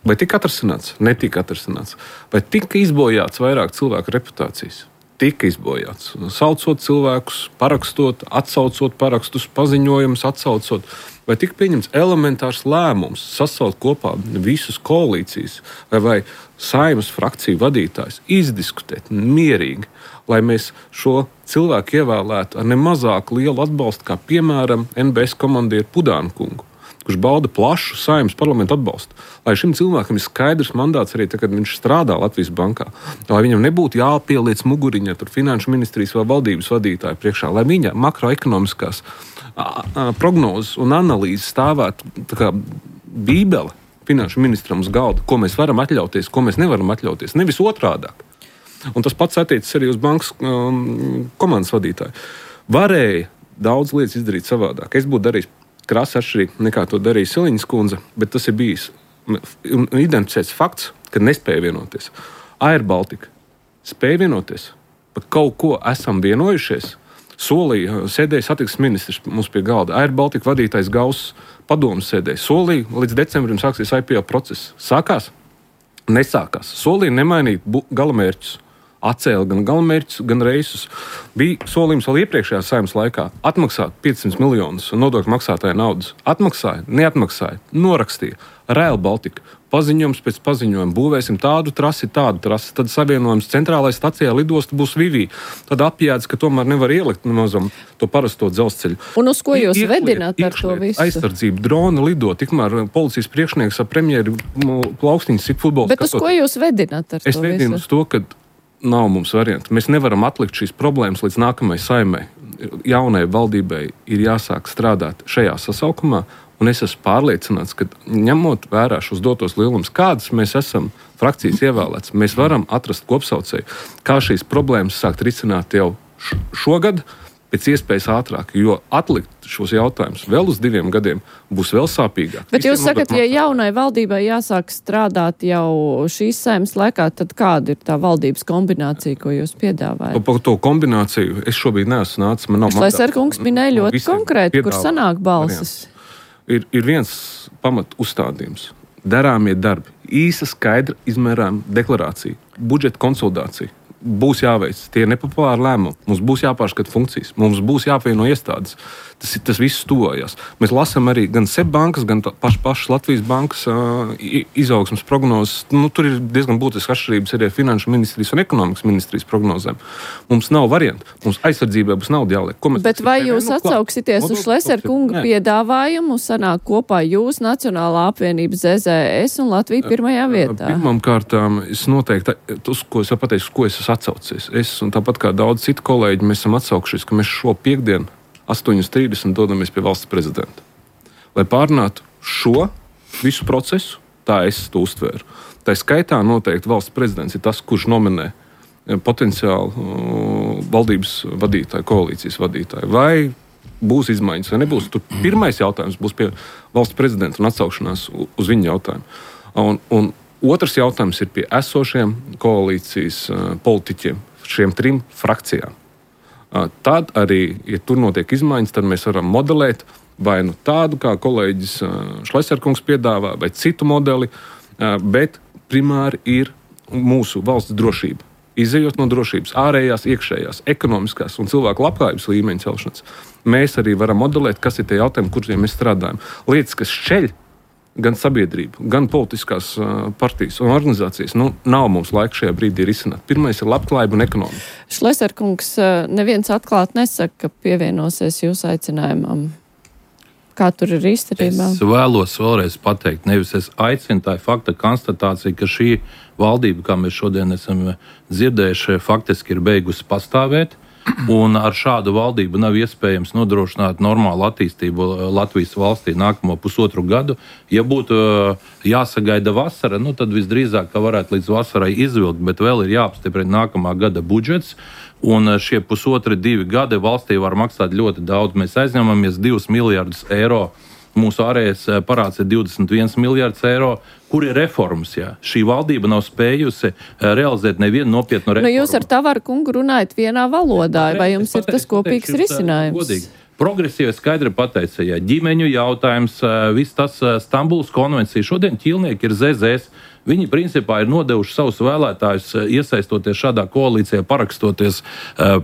Vai tika atrasināts? Netika atrasināts. Vai tika izbojāts vairāk cilvēku reputācijas? Tika izbojāts. Saucot cilvēkus, parakstot, atsaucot parakstus, paziņojumus, atsaucot. Vai tika pieņemts elementārs lēmums sasaukt kopā visus koalīcijas vai Saeimas frakciju vadītājus, izdiskutēt mierīgi, lai mēs šo cilvēku ievēlētu ar nemazāk lielu atbalstu, kā piemēram NBS komandieru Pudānu kungu, kurš bauda plašu Saeimas parlamentu atbalstu. Lai šim cilvēkam ir skaidrs mandāts arī tad, kad viņš strādā Latvijas bankā, lai viņam nebūtu jāpieliec muguriņā tur finanšu ministrijas vai valdības vadītāju priekšā, lai viņa makroekonomiskās prognozes un analīzes stāvētu tā kā bībele finanšu ministram uz galda, ko mēs varam atļauties, ko mēs nevaram atļauties, nevis otrādāk. Un tas pats attiecas arī uz bankas komandas vadītāju. Varēja daudz lietas izdarīt savādāk. Es būtu darījis krasi atšķirīgi nekā to darīja Siliņas kundze, bet tas ir bijis identificēts fakts, ka nespēja vienoties. Air Baltica spēja vienoties, par kaut ko esam vienojušies, solīja, sēdēja satiksmes ministrs mums pie galda, Air Baltica vadītājs Gauss padomas sēdēja, solīja, līdz decembrim sāksies IPO process. Sākās? Nesākās. Solīja nemainīt galamērķus. Atcēla gan galamērķus, gan reisus. Bija solījums vēl iepriekšējā Saeimas laikā atmaksāt 500 miljonus nodokļu maksātāja naudas. Atmaksāja, neatmaksāja, norakstīja. Rail Baltica. Paziņojums pēc paziņojuma. Būvēsim tādu trasi. Tad savienojums centrālajai stacijā lidosta būs Vivī. Tad apjēdz, ka tomēr nevar ielikt nemazam to parasto dzelzceļu. Un uz ko jūs vedināt ar to visu? Aizsardzību, drona lido. Tikmēr policijas priekšnieks ar premjeru plaukstiņas sit futbols. Bet uz ko jūs vedināt ar to visu? Es vedinu uz to, ka nav mums variantu. Mēs nevaram atlikt šīs problēmas līdz nākamajai Saeimai. Jaunai valdībai ir jāsāk strādāt šajā sasaukumā, un es esmu pārliecināts, ka ņemot vērā šos dotos lielumus, kādas mēs esam frakcijas ievēlēts, mēs varam atrast kopsaucēju, kā šīs problēmas sākt risināt jau šogad, pēc iespējas ātrāk, jo atlikt šos jautājumus vēl uz 2 gadiem būs vēl sāpīgāk. Bet jūs sakat, ja jaunai valdībai jāsāk strādāt jau šīs Saeimas laikā, tad kāda ir tā valdības kombinācija, ko jūs piedāvājat? Par to kombināciju es šobrīd neesmu nācis. Šlesnerkungs minēja ļoti konkrēti, kur sanāk balsis. Ir viens pamat uzstādījums. Darāmie darbi. Īsa, skaidra, izmērāma deklarācija. Budžeta konsolidācija. Būs jāveic tie nepopulāri lēmumi, mums būs jāpārskata funkcijas, mums būs jāapvieno iestādes. Tas viss tuvojas. Mēs lasām arī gan SEB bankas, gan pašas Latvijas bankas izaugsmas prognozes. Tur ir diezgan būtisks atšķirības arī ar finanšu ministrijas un ekonomikas ministrijas prognozēm. Mums nav variantu. Mums aizsardzībai būs nauda jāliek. Bet vai jūs atsauksieties uz Šlesnerkunga piedāvājumu, sanāk kopā jūs, Nacionālā apvienība ZZS un Latvija pirmajā vietā? Pirmām kārtām es noteikti, uz ko es pateicu, uz ko es esmu atsaucies. Es un tāpat kā daudz citu kolēģi, mēs esam atsaukšies, ka mēs šo piekdienu 8:30 dodamies pie valsts prezidenta. Lai pārunātu šo visu procesu, tā es to uztvēru. Tā skaitā noteikti valsts prezidents ir tas, kurš nominē potenciāli valdības vadītāju, koalīcijas vadītāju. Vai būs izmaiņas vai nebūs? Tur pirmais jautājums būs pie valsts prezidenta un atsaukšanās uz viņa jautājumu. Un otrs jautājums ir pie esošiem koalīcijas politiķiem, šiem 3 frakcijām. Tad arī, ja tur notiek izmaiņas, tad mēs varam modelēt vai nu tādu, kā kolēģis Šlesnerkungs piedāvā, vai citu modeli, bet primāri ir mūsu valsts drošība. Izejot no drošības, ārējās, iekšējās, ekonomiskās un cilvēku labklājības līmeņa celšanas, mēs arī varam modelēt, kas ir tie jautājumi, kuriem mēs strādājam. Lietas, kas šķeļ gan sabiedrību, gan politiskās partijas un organizācijas, nav mums laika šajā brīdī risināt. Pirmais ir labklājība un ekonomika. Šlesnerkungs neviens atklāt nesaka, ka pievienosies jūsu aicinājumam. Kā tur ir īstenībā? Es vēlos vēlreiz pateikt, nevis es aicinu, tā ir fakta konstatācija, ka šī valdība, kā mēs šodien esam dzirdējuši, faktiski ir beigusi pastāvēt. Un ar šādu valdību nav iespējams nodrošināt normālu attīstību Latvijas valstī nākamo 1,5 gadu. Ja būtu jāsagaida vasara, tad visdrīzāk, ka varētu līdz vasarai izvilkt, bet vēl ir jāapstiprina nākamā gada budžets. Un šie 1,5–2 gadi valstī var maksāt ļoti daudz. Mēs aizņemamies 2 miljardus eiro. Mūsu ārējais parāds ir 21 miljards eiro. Kur ir reformas? Jā? Šī valdība nav spējusi realizēt nevienu nopietnu reformu. Jūs ar Tavaru kungu runājat vienā valodā, vai jums ir tas kopīgs risinājums? Godīgi. Progresīvi skaidri pateica, ja ģimeņu jautājums, viss tas Stambulas konvencija, šodien ķīlnieki ir ZZS. Viņi principā ir nodevuši savus vēlētājus, iesaistoties šādā koalīcijā, parakstoties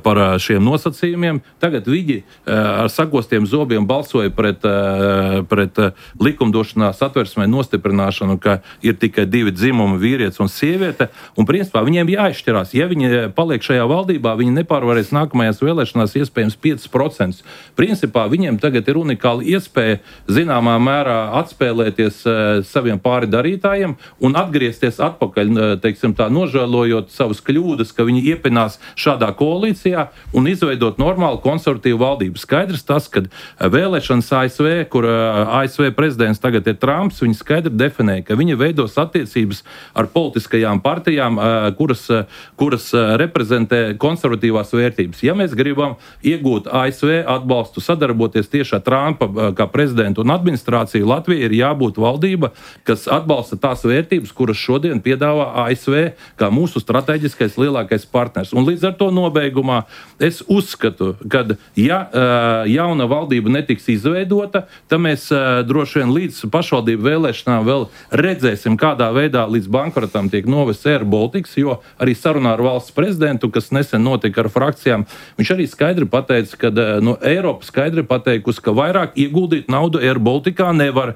par šiem nosacījumiem. Tagad viņi ar sagostiem zobiem balsoja pret likumdošanā satversmē nostiprināšanu, ka ir tikai 2 dzimumi, vīrietis un sieviete. Un principā viņiem jāizšķirās. Ja viņi paliek šajā valdībā, viņi nepārvarēs nākamajās vēlēšanās iespējams 5%. Principā viņiem tagad ir unikāla iespēja zināmā mērā atspēlēties saviem pāri darītājiem un atgriezties atpakaļ, teiksim tā, nožēlojot savas kļūdas, ka viņi iepinās šādā koalīcijā un izveidot normālu konservatīvu valdību. Skaidrs tas, ka vēlēšanas ASV, kur ASV prezidents tagad ir Trumps, viņi skaidri definē, ka viņi veidos attiecības ar politiskajām partijām, kuras reprezentē konservatīvās vērtības. Ja mēs gribam iegūt ASV atbalstu, sadarboties tieši ar Trumpa kā prezidentu un administrāciju, Latvija ir jābūt valdība, kas atbalsta tās vērtības, kuras šodien piedāvā ASV kā mūsu strateģiskais lielākais partners. Un līdz ar to nobeigumā es uzskatu, ka jauna valdība netiks izveidota, tad mēs droši vien līdz pašvaldību vēlēšanām vēl redzēsim, kādā veidā līdz bankrotam tiek novests Air Baltics, jo arī sarunā ar valsts prezidentu, kas nesen notika ar frakcijām, viņš arī skaidri pateica, ka no Eiropas skaidri pateikusi, ka vairāk ieguldīt naudu Air Balticā nevar.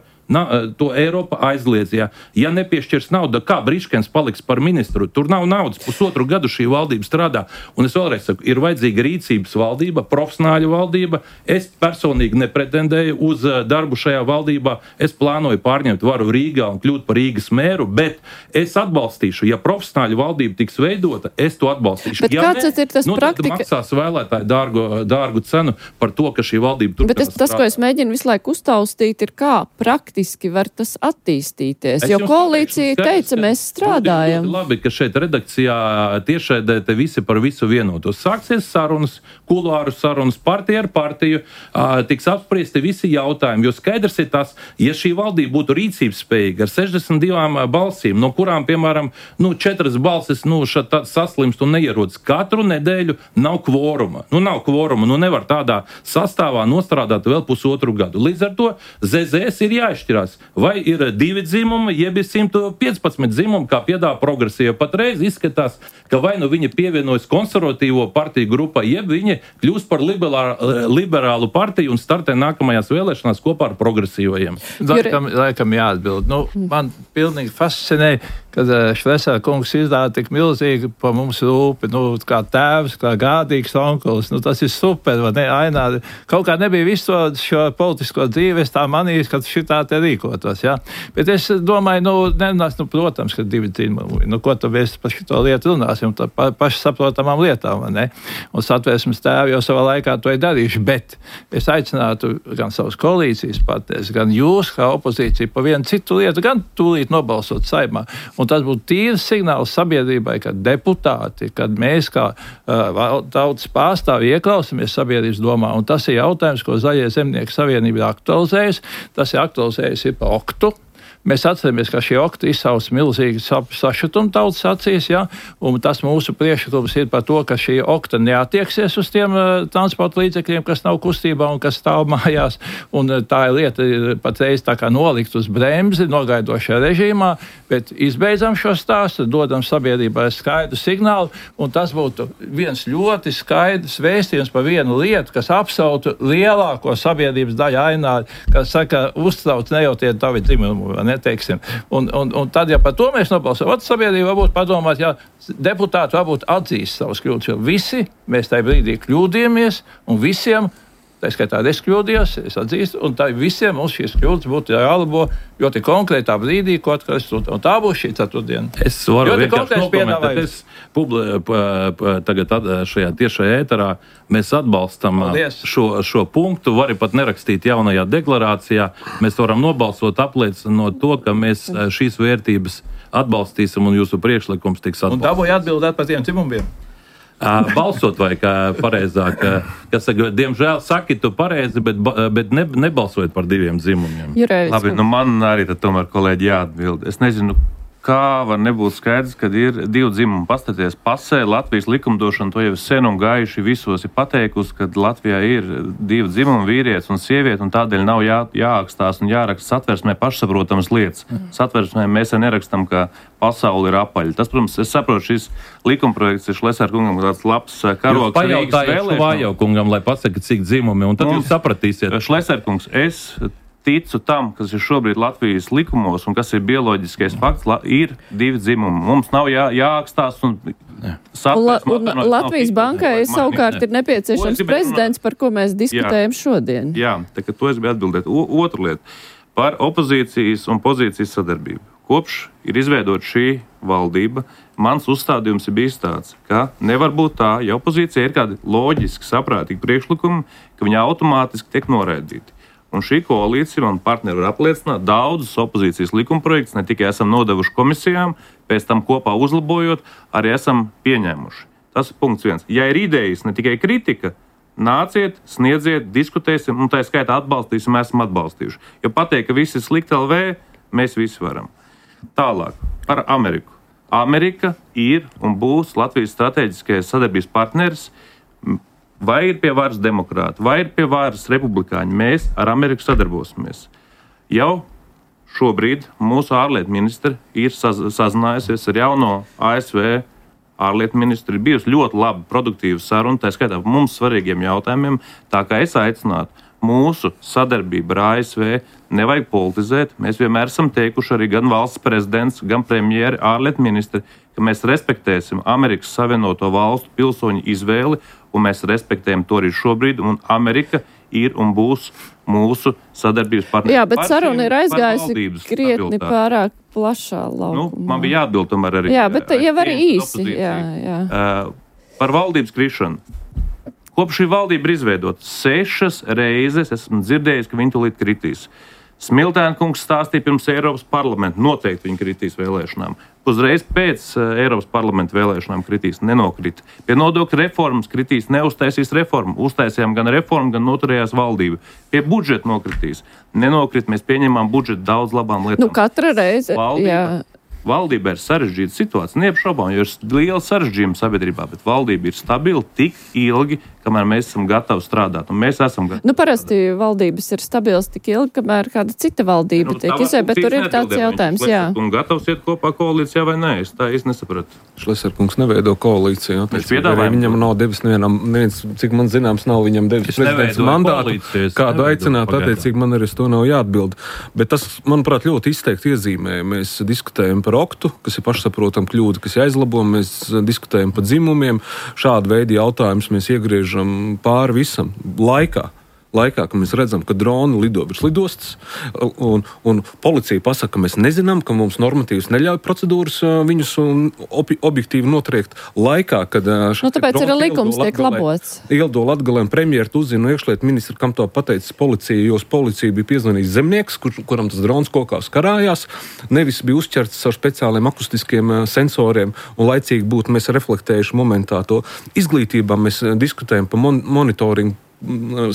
To Eiropa aizliedz. Ja nepiešķirs naudu, kā Briškens paliks par ministru? Tur nav naudas. 1,5 gadu šī valdība strādā. Un es vēlreiz saku, ir vajadzīga rīcības valdība, profesionāļa valdība. Es personīgi nepretendēju uz darbu šajā valdībā. Es plānoju pārņemt varu Rīgā un kļūt par Rīgas mēru, bet es atbalstīšu. Ja profesionāļa valdība tiks veidota, es to atbalstīšu. Bet kāds ir tas praktika? Tad maksās vēlētāji dārgu cenu par to, ka šī valdība turpinās strādāt. Bet tas, ko es mēģinu visu laiku uztaustīt, ir kā praktiski var tas attīstīties, jo koalīcija teica, mēs strādājam. Labi, ka šeit redakcijā tiešraidē te visi par visu vienotos. Sāksies sarunas, kuluāru sarunas, partija ar partiju, tiks apspriesti visi jautājumi, jo skaidrs ir tas, ja šī valdība būtu rīcības spējīga ar 62 balsīm, no kurām, piemēram, 4 balsis saslimst un neierodas katru nedēļu, nav kvoruma. Nav kvoruma, nevar tādā sastāvā nostrādāt vēl 1,5 gadu. Līdz ar to ZZS ir jāizšķirās. Vai ir 2 dzimumi, jeb 115 dzimumi, kā piedāvā progresīva. Patreiz izskatās, ka vai nu viņi pievienojas konservatīvo partiju grupai, jeb viņi kļūst par liberālu partiju un startē nākamajās vēlēšanās kopā ar progresīvajiem. Laikam jāatbild. Man pilnīgi fascinē, kad Šlesera kungs izdāda tik milzīgi pa mums rūpi, kā tēvs, kā gādīgs onkulis. Tas ir super, vai ne? Ainā, kaut kā nebija visu šo politisko dzīvi, es tā manīju, ka šitā te rīkotos, ja? Bet es domāju, protams, ka 2 dzimumi. Ko tad mēs par šito lietu runāsim? Paši saprotamām lietām, vai ne? Un Satversmes tēvi jau savā laikā to ir darījuši, bet es aicinātu gan savus koalīcijas partnerus, gan jūs, kā opozīcija, pa vienu citu lietu, gan tūlīt nobalsot Saeimā. Un tas būtu tīrs signāls sabiedrībai, ka deputāti, kad mēs kā tautas pārstāvi ieklausamies sabiedrības domā, un tas ir jautājums, ko Zaļie zemnieku savienība ir aktualizējusi. Tas ir aktualizējusi par oktu. Mēs atceramies, ka šī okta izsauc milzīgi sašutumu tautas acīs, ja? Un tas mūsu priekšlikums ir par to, ka šī okta neatieksies uz tiem transporta līdzekļiem, kas nav kustībā un kas stāv mājās. Un tā ir lieta patreiz tā kā nolikt uz bremzi, nogaidošajā režīmā, bet izbeidzam šo stāstu, dodam sabiedrībai skaidru signālu, un tas būtu viens ļoti skaidrs vēstījums par vienu lietu, kas apsautu lielāko sabiedrības daļu Ainā, kas saka, uztrauc ne jau tie tavi dzimumi, neteiksim. Un tad, ja par to mēs nobalsam, sabiedrība varbūt padomāt, ja deputāti varbūt atzīst savus kļūdas, jo visi mēs tajā brīdī kļūdījāmies, un visiem, tā skaitā es kļūdījos, es atzīstu, un tā visiem mums šīs kļūdas būtu jālabo ļoti konkrētā brīdī, ko atkarās, un tā būs šī ceturtdiena. Es varu vienkārši nokomentēt, tagad šajā tiešajā ēterā mēs atbalstam šo punktu, var pat nerakstīt jaunajā deklarācijā, mēs varam nobalsot apliecinot to, ka mēs šīs vērtības atbalstīsim un jūsu priekšlikums tiks atbalstīts. Un dabūja atbildēt par tiem dzimumiem. Balsot vai kā pareizāk, kas saka, diemžēl saki tu pareizi, bet nebalsojot par 2 dzimumiem. Labi, man arī tad tomēr kolēģi jāatbild. Es nezinu, kā var nebūt skaidrs, kad ir 2 dzimumi. Pastaties pasē, Latvijas likumdošana to jau sen un gājuši visos ir pateikusi, ka Latvijā ir 2 dzimumi, vīrietis un sieviete, un tādēļ nav jāakstās un jāraksta satversmē pašsaprotamas lietas. Satversmē mēs nerakstam, ka pasauli ir apaļa. Tas, protams, es saprotu, šis likumprojekts ir Šlesera kungam tāds labs karogs Rīgas vēlēšanām. Vājau kungam, lai pasaka, cik dzimumi, un tad jūs sapratīsiet. Šlesera kungs, es ticu tam, kas ir šobrīd Latvijas likumos un kas ir bioloģiskais fakts, ir 2 dzimumi. Mums nav jāakstās un saprast. Un Latvijas bankai savukārt ir nepieciešams prezidents, par ko mēs diskutējam šodien. Jā, tā kā to es biju atbildēt. Otra lieta par opozīcijas un pozīcijas sadarbību. Kopš ir izveidota šī valdība, mans uzstādījums ir bijis tāds, ka nevar būt tā, ja opozīcija ir kādi loģiski, saprātīgi priekšlikumi, ka viņi automātiski tiek noraidīti. Un šī koalīcija man partneri var apliecināt daudzus opozīcijas likumprojektus, ne tikai esam nodevuši komisijām, pēc tam kopā uzlabojot, arī esam pieņēmuši. Tas ir punkts 1. Ja ir idejas, ne tikai kritika, nāciet, sniedziet, diskutēsim, un tā skaitā atbalstīsim, esam atbalstījuši. Jo pateikt, ka viss ir slikti LV, mēs visi varam. Tālāk, par Ameriku. Amerika ir un būs Latvijas strateģiskais sadarbības partneris. Vai ir pie varas demokrāti, vai ir pie varas republikāņi, mēs ar Ameriku sadarbosimies. Jau šobrīd mūsu ārlietu ministri ir sazinājusies ar jauno ASV ārlietu ministru. Ir bijusi ļoti laba, produktīva saruna, tā skaitā par mums svarīgiem jautājumiem. Tā kā es aicinātu mūsu sadarbību ar ASV nevajag politizēt. Mēs vienmēr esam teikuši arī gan valsts prezidents, gan premjeri, ārlietu ministri, ka mēs respektēsim Amerikas Savienoto Valstu pilsoņu izvēli, un mēs respektējam to arī šobrīd, un Amerika ir un būs mūsu sadarbības partneri. Jā, bet saruna ir aizgājusi krietni pārāk plašā laukumā. Man bija jāatbild tomēr arī. Jā, bet jau arī īsi. Jā. Par valdības krišanu. Kopš šī valdība ir izveidota 6 reizes, esmu dzirdējis, ka viņi tūlīt kritīs. Smiltēna kungs stāstīja pirms Eiropas parlamenta, noteikti viņi kritīs vēlēšanām. Uzreiz pēc Eiropas parlamenta vēlēšanām kritīs, nenokrita. Pie nodokļu reformas kritīs, neuztaisīs reformu. Uztaisījām gan reformu, gan noturējās valdība. Pie budžeta nokritīs. Nenokrit, mēs pieņemām budžetu daudz labām lietām. Katra reize, Valdība ir sarežģīta situācija, neapšaubām, jo ir liela sarežģījuma sabiedrībā, bet valdība ir stabila tik ilgi, kamēr mēs esam gatavi strādāt. Un mēs esam gatavi. Parasti valdības ir stabilas tik ilgi, kamēr kāda cita valdība tiek izveidota, bet tur ir tāds jautājums, jā. Un gatavs iet kopā koalīcijā vai nē? Es tā īsti nesapratu. Šleserkungs neveido koalīciju. Viņam nav devis neviens, cik man zināms, nav viņam devis prezidents mandātu. Kādu aicināt, attiecīgi man arī to nav jāatbild. Bet tas, manuprāt, ļoti izteikti iezīmē. Mēs diskutējam par oktu, kas ir pašsaprotam kļūda, kas ir jāizlabo. Mēs diskutējam par dzimumiem. Šādu veidu jautājumus mēs iegriežam pāri visam laikā, kad mēs redzam, ka droni lido virs lidostas, un policija pasaka, ka mēs nezinām, ka mums normatīvas neļauj procedūras viņus objektīvi notriekt. Laikā, kad tāpēc ir likums tiek labots. Ielido Latgalē un premjeru uzzina iekšlietu ministru, kam to pateicis policija, jo policija bija piezvanījis zemnieks, kuram tas drons kokās karājās, nevis bija uzķerts ar speciāliem akustiskiem sensoriem, un laicīgi būtu mēs reflektējuši momentā to. Izglītībā mēs diskutējam par monitoringu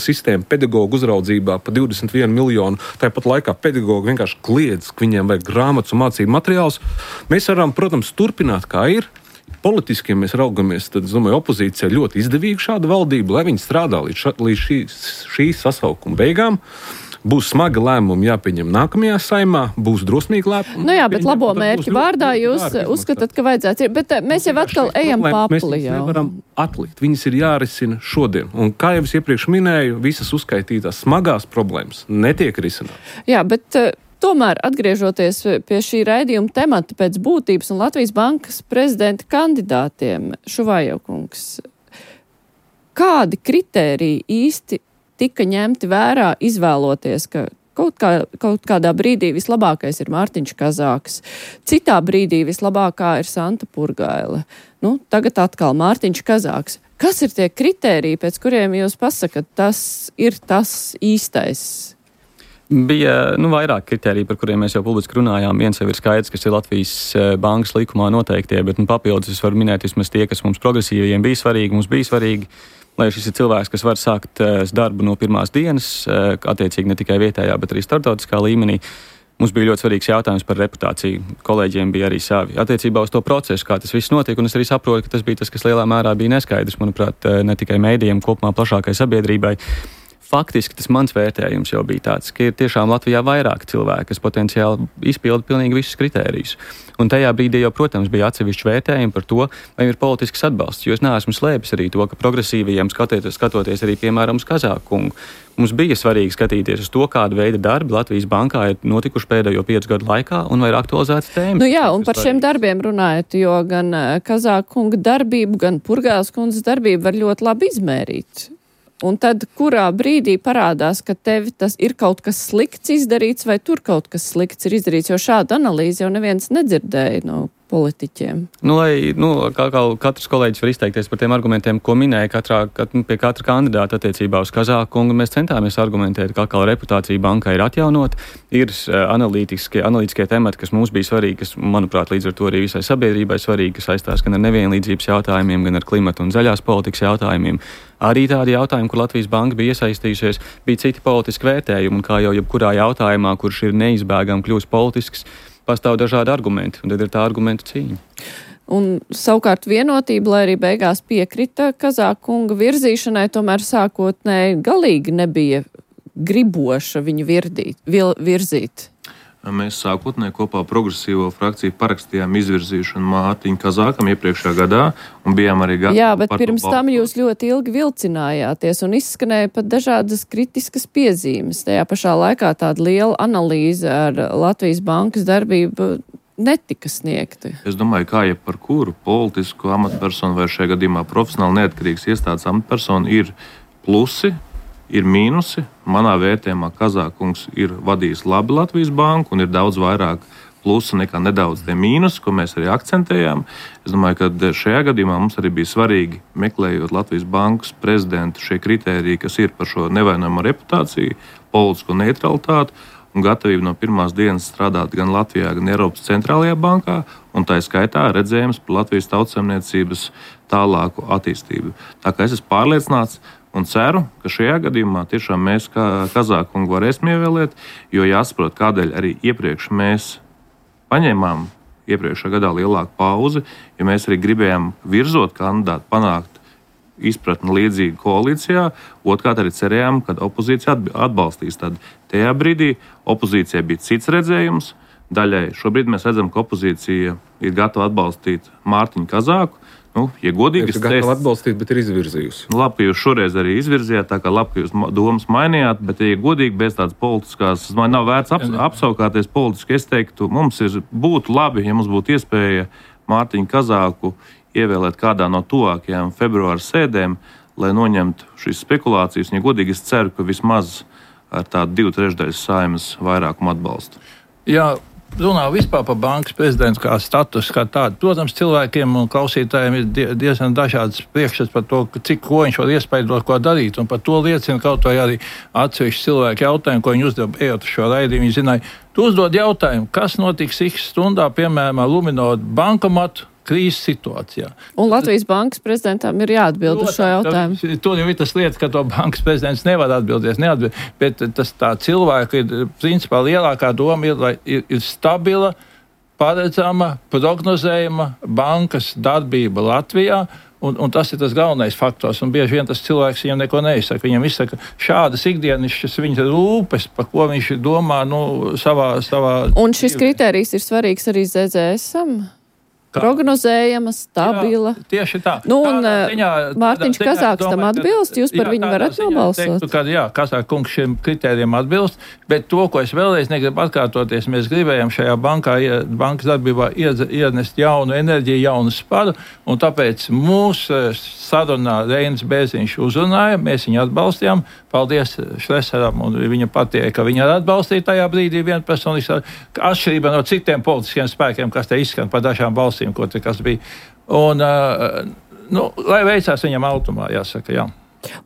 sistēmu pedagoģu uzraudzībā pa 21 miljonu. Tāpat laikā pedagoģi vienkārši kliedz, ka viņiem vajag grāmatas un mācību materiālus. Mēs varam, protams, turpināt, kā ir. Politiski, ja mēs raugamies, tad, es domāju, opozīcija ļoti izdevīga šāda valdība, lai viņi strādā līdz šī sasaukuma beigām. Būs smagi lēmumi jāpieņem nākamajā saimā, būs drosmīgi lēmumi. Bet labo mērķu vārdā jūs uzskatāt, ka vajadzētu. Bet mēs jau atkal ejam papli. Mēs nevaram atlikt. Viņas ir jārisina šodien. Un kā jau es iepriekš minēju, visas uzskaitītās smagās problēmas netiek risinātas. Jā, bet tomēr atgriežoties pie šī raidījuma temata pēc būtības un Latvijas Bankas prezidenta kandidātiem, Šuvajev kungs, kādi kritēriji īsti tika ņemti vērā, izvēloties, ka kaut kādā brīdī vislabākais ir Mārtiņš Kazāks, citā brīdī vislabākā ir Santa Purgaile. Tagad atkal Mārtiņš Kazāks. Kas ir tie kritēriji, pēc kuriem jūs pasakat, tas ir tas īstais? Bija vairāk kritēriju, par kuriem mēs jau publiski runājām. Viens jau ir skaidrs, kas ir Latvijas bankas likumā noteiktie, bet papildus es varu minēt vismaz tie, kas mums progresīviem bija svarīgi, mums bija svarīgi. Lai šis ir cilvēks, kas var sākt darbu no pirmās dienas, attiecīgi ne tikai vietējā, bet arī starptautiskā līmenī. Mums bija ļoti svarīgs jautājums par reputāciju. Kolēģiem bija arī savi attiecībā uz to procesu, kā tas viss notiek, un es arī saprotu, ka tas bija tas, kas lielā mērā bija neskaidrs, manuprāt, ne tikai mēdījiem, kopumā plašākai sabiedrībai. Faktiski tas mans vērtējums jau bija tāds, ka ir tiešām Latvijā vairāk cilvēki, kas potenciāli izpilda pilnīgi visus kritērijus. Un tajā brīdī jau, protams, bija atsevišķi vērtējumi par to, vai ir politisks atbalsts, jo es neesmu slēpis arī to, ka progresīvajiem skatoties arī, piemēram, uz Kazāku kungu, mums bija svarīgi skatīties uz to, kāda veida darbi Latvijas bankā ir notikuši pēdējo 5 gadu laikā un vai ir aktualizētas tēmas. Un par šiem darbiem runājot, jo gan Kazāku kunga darbību, gan Purgailes kundzes darbību var ļoti labi izmērīt. Un tad, kurā brīdī parādās, ka tev tas ir kaut kas slikts izdarīts, vai tur kaut kas slikts ir izdarīts, jo šādu analīzi jau neviens nedzirdēja no politiķiem. Katrs kolēģis var izteikties par tiem argumentiem, ko minēja pie katra kandidāta attiecībā uz Kazāku kungu. Mēs centāmies argumentēt, ka atkal reputācija bankai ir atjaunot, ir analītiskie temati, kas mums bija svarīgi, kas, manuprāt, līdz ar to arī visai sabiedrībai svarīgi, kas saistās gan ar nevienlīdzības jautājumiem, gan ar klimatu un zaļās politikas jautājumiem. Arī tādi jautājumi, kur Latvijas banka bija iesaistījusies, bija citi politiski vērtējumi, un kā jau jebkurā jautājumā, kurš ir neizbēgami kļūst politisks, pastāv dažādi argumenti, un tad ir tā argumentu cīņa. Un savukārt vienotība, lai arī beigās piekrita Kazākunga virzīšanai, tomēr sākotnēji galīgi nebija griboša viņu virzīt. Mēs sākotnēji kopā progresīvo frakciju parakstījām izvirzīšanu Mārtiņu Kazākam iepriekšējā gadā un bijām arī gatavi. Jā, bet pirms tam jūs ļoti ilgi vilcinājāties un izskanēja pat dažādas kritiskas piezīmes. Tajā pašā laikā tāda liela analīze ar Latvijas bankas darbību netika sniegta. Es domāju, kā jau par kuru politisku amatpersonu vai šajā gadījumā profesionāli neatkarīgs iestādes amatpersonu ir plusi, ir mīnusi. Manā vērtējumā Kazākungs ir vadījis labi Latvijas banku un ir daudz vairāk plusu nekā nedaudz tie mīnusi, ko mēs arī akcentējām. Es domāju, ka šajā gadījumā mums arī bija svarīgi, meklējot Latvijas bankas prezidentu, šie kritēriji, kas ir par šo nevainojumu reputāciju, politisko neutralitāti un gatavību no pirmās dienas strādāt gan Latvijā, gan Eiropas centrālajā bankā, un tā skaitā redzējums par Latvijas tautsaimniecības tālāku attīstību. Tā kā es esmu pārliecināts un ceru, ka šajā gadījumā tiešām mēs Kazākungu varēsim ievēlēt, jo jāsaprot, kādēļ arī iepriekš mēs paņēmām iepriekšējā gadā lielāku pauzi, jo mēs arī gribējām virzot kandidātu panākt izpratni līdzīgi koalīcijā. Otrkārt arī cerējām, ka opozīcija atbalstīs. Tad tajā brīdī opozīcijai bija cits redzējums. Daļai šobrīd mēs redzam, ka opozīcija ir gatava atbalstīt Mārtiņu Kazāku. Ja godīgi, es gatavu atbalstīt, bet ir izvirzījusi. Labi, ka jūs šoreiz arī izvirzījāt, tā kā labi, ka jūs domas mainījāt, bet, ja godīgi, bez tādas politiskās, man nav vērts apsaukāties politiski, es teiktu, mums būtu labi, ja mums būtu iespēja Mārtiņu Kazāku ievēlēt kādā no tuvākajām februāra sēdēm, lai noņemtu šīs spekulācijas, un, ja godīgi, es ceru, ka vismaz ar tādu 2/3 Saeimas vairākumu atbalstu. Jā. Runā vispār par bankas prezidentu kā statusu, kā tādu. Protams, cilvēkiem un klausītājiem ir diezgan dažādas priekšstats par to, ko viņš var iespaidot, ko darīt. Un par to liecina kaut vai arī atsevišķi cilvēki jautājumu, ko viņi uzdeva ejot uz šo raidījumu. Viņi zināja, tu uzdod jautājumu, kas notiks X stundā, piemēram, ar Luminor bankomatu krīzes situācijā. Un Latvijas bankas prezidentam ir jāatbild uz šo jautājumu. Tur jau ir tas lietas, ka to bankas prezidents nevar atbildēt, bet tas tā cilvēka ir, principā, lielākā doma ir, lai ir stabila, paredzama, prognozējama bankas darbība Latvijā, un tas ir tas galvenais faktors, un bieži vien tas cilvēks viņam neko neizsaka. Viņam izsaka šādas ikdienišķas viņa rūpes, par ko viņš domā, savā... Un šis kritērijs ir svarīgs arī ZZS-am? Prognozējama, stabila. Jā, tieši tā. Mārtiņš Kazāks tam atbilst, jūs par viņu varat nobalsot. Kazāka kungs šiem kritērijiem atbilst, bet to, ko es vēlreiz negribu atkārtoties, mēs gribējām šajā bankas darbībā ienest jaunu enerģiju, jaunu sparu, un tāpēc mūsu sarunā Reinis Bērziņš uzrunāja, mēs viņu atbalstījām. Paldies Šlesaram un viņa patieja, ka viņa atbalstīja tajā brīdī vienpersoniski, atšķirībā no citiem politiskiem spēkiem, kas te izskan par dažām balsīm, ko te kas bija. Un, lai veicās viņam automā, jāsaka, jā.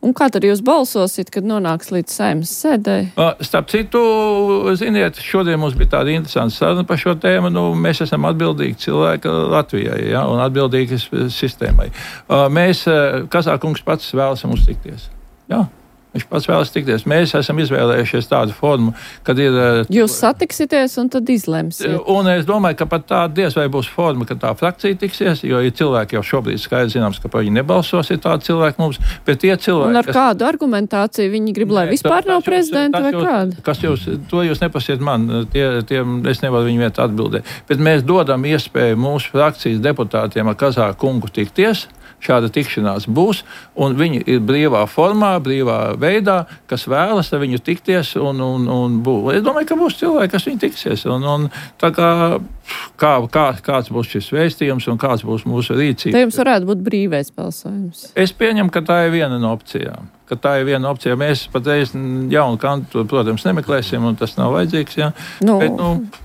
Un kā tad jūs balsosit, kad nonāks līdz Saeimas sēdei? Starp citu, ziniet, šodien mums bija tāda interesanta saruna par šo tēmu. Mēs esam atbildīgi cilvēki Latvijai, ja, un atbildīgi sistēmai. Mēs, Kazākungs pats vēlas mums tikties. Jā. Viņš pats vēlas tikties. Mēs esam izvēlējušies tādu formu, kad ir... Jūs satiksieties un tad izlemsiet. Un es domāju, ka pat tāda diez vai būs forma, ka tā frakcija tiksies, jo ir cilvēki jau šobrīd skaidrs zināms, ka par viņu nebalsos, ir tādi cilvēki mums, bet tie cilvēki... Un ar kādu argumentāciju viņi grib, lai vispār nav prezidenta vai kāda? To jūs nepasiet man, es nevaru viņu vietā atbildēt. Bet mēs dodam iespēju mūsu frakcijas deputātiem ar Kazāku kungu tikties. Šāda tikšanās būs, un viņi ir brīvā formā, brīvā veidā, kas vēlas ar viņu tikties un būs. Es domāju, ka būs cilvēki, kas viņi tiksies. Un tā kāds būs šis vēstījums un kāds būs mūsu rīcība. Te jums varētu būt brīvais balsojums. Es pieņemu, ka tā ir viena no opcijām. Mēs patreiz jaunu kantu, protams, nemeklēsim, un tas nav vajadzīgs. Jā.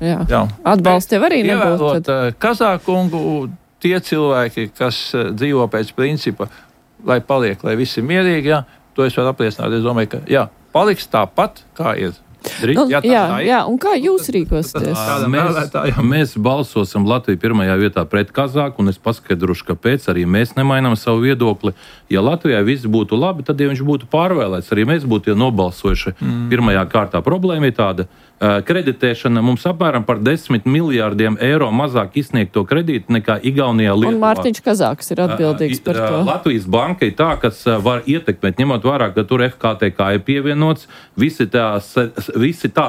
Jā. Atbalsts tev arī nebūtu. Kazākungu tie cilvēki, kas dzīvo pēc principa, lai paliek, lai visi ir mierīgi, jā, to es varu apliecināt. Es domāju, ka paliks tāpat, kā ir. Jā, un kā jūs rīkosieties? Mēs balsosim Latviju pirmajā vietā pret Kazāku, un es paskaidrošu, kāpēc arī mēs nemainām savu viedokli. Ja Latvijā viss būtu labi, tad, ja viņš būtu pārvēlēts, arī mēs būtu nobalsojuši pirmajā kārtā. Problēma ir tāda. Kreditēšana mums apmēram par 10 miljārdiem eiro mazāk izsniegto kredītu nekā Igaunijā, Lietuvā. Un Mārtiņš Kazāks ir atbildīgs par to. Latvijas banka ir tā, kas var ietekmēt, ņemot vērā, ka tur FKTK ir pievienots, visi tā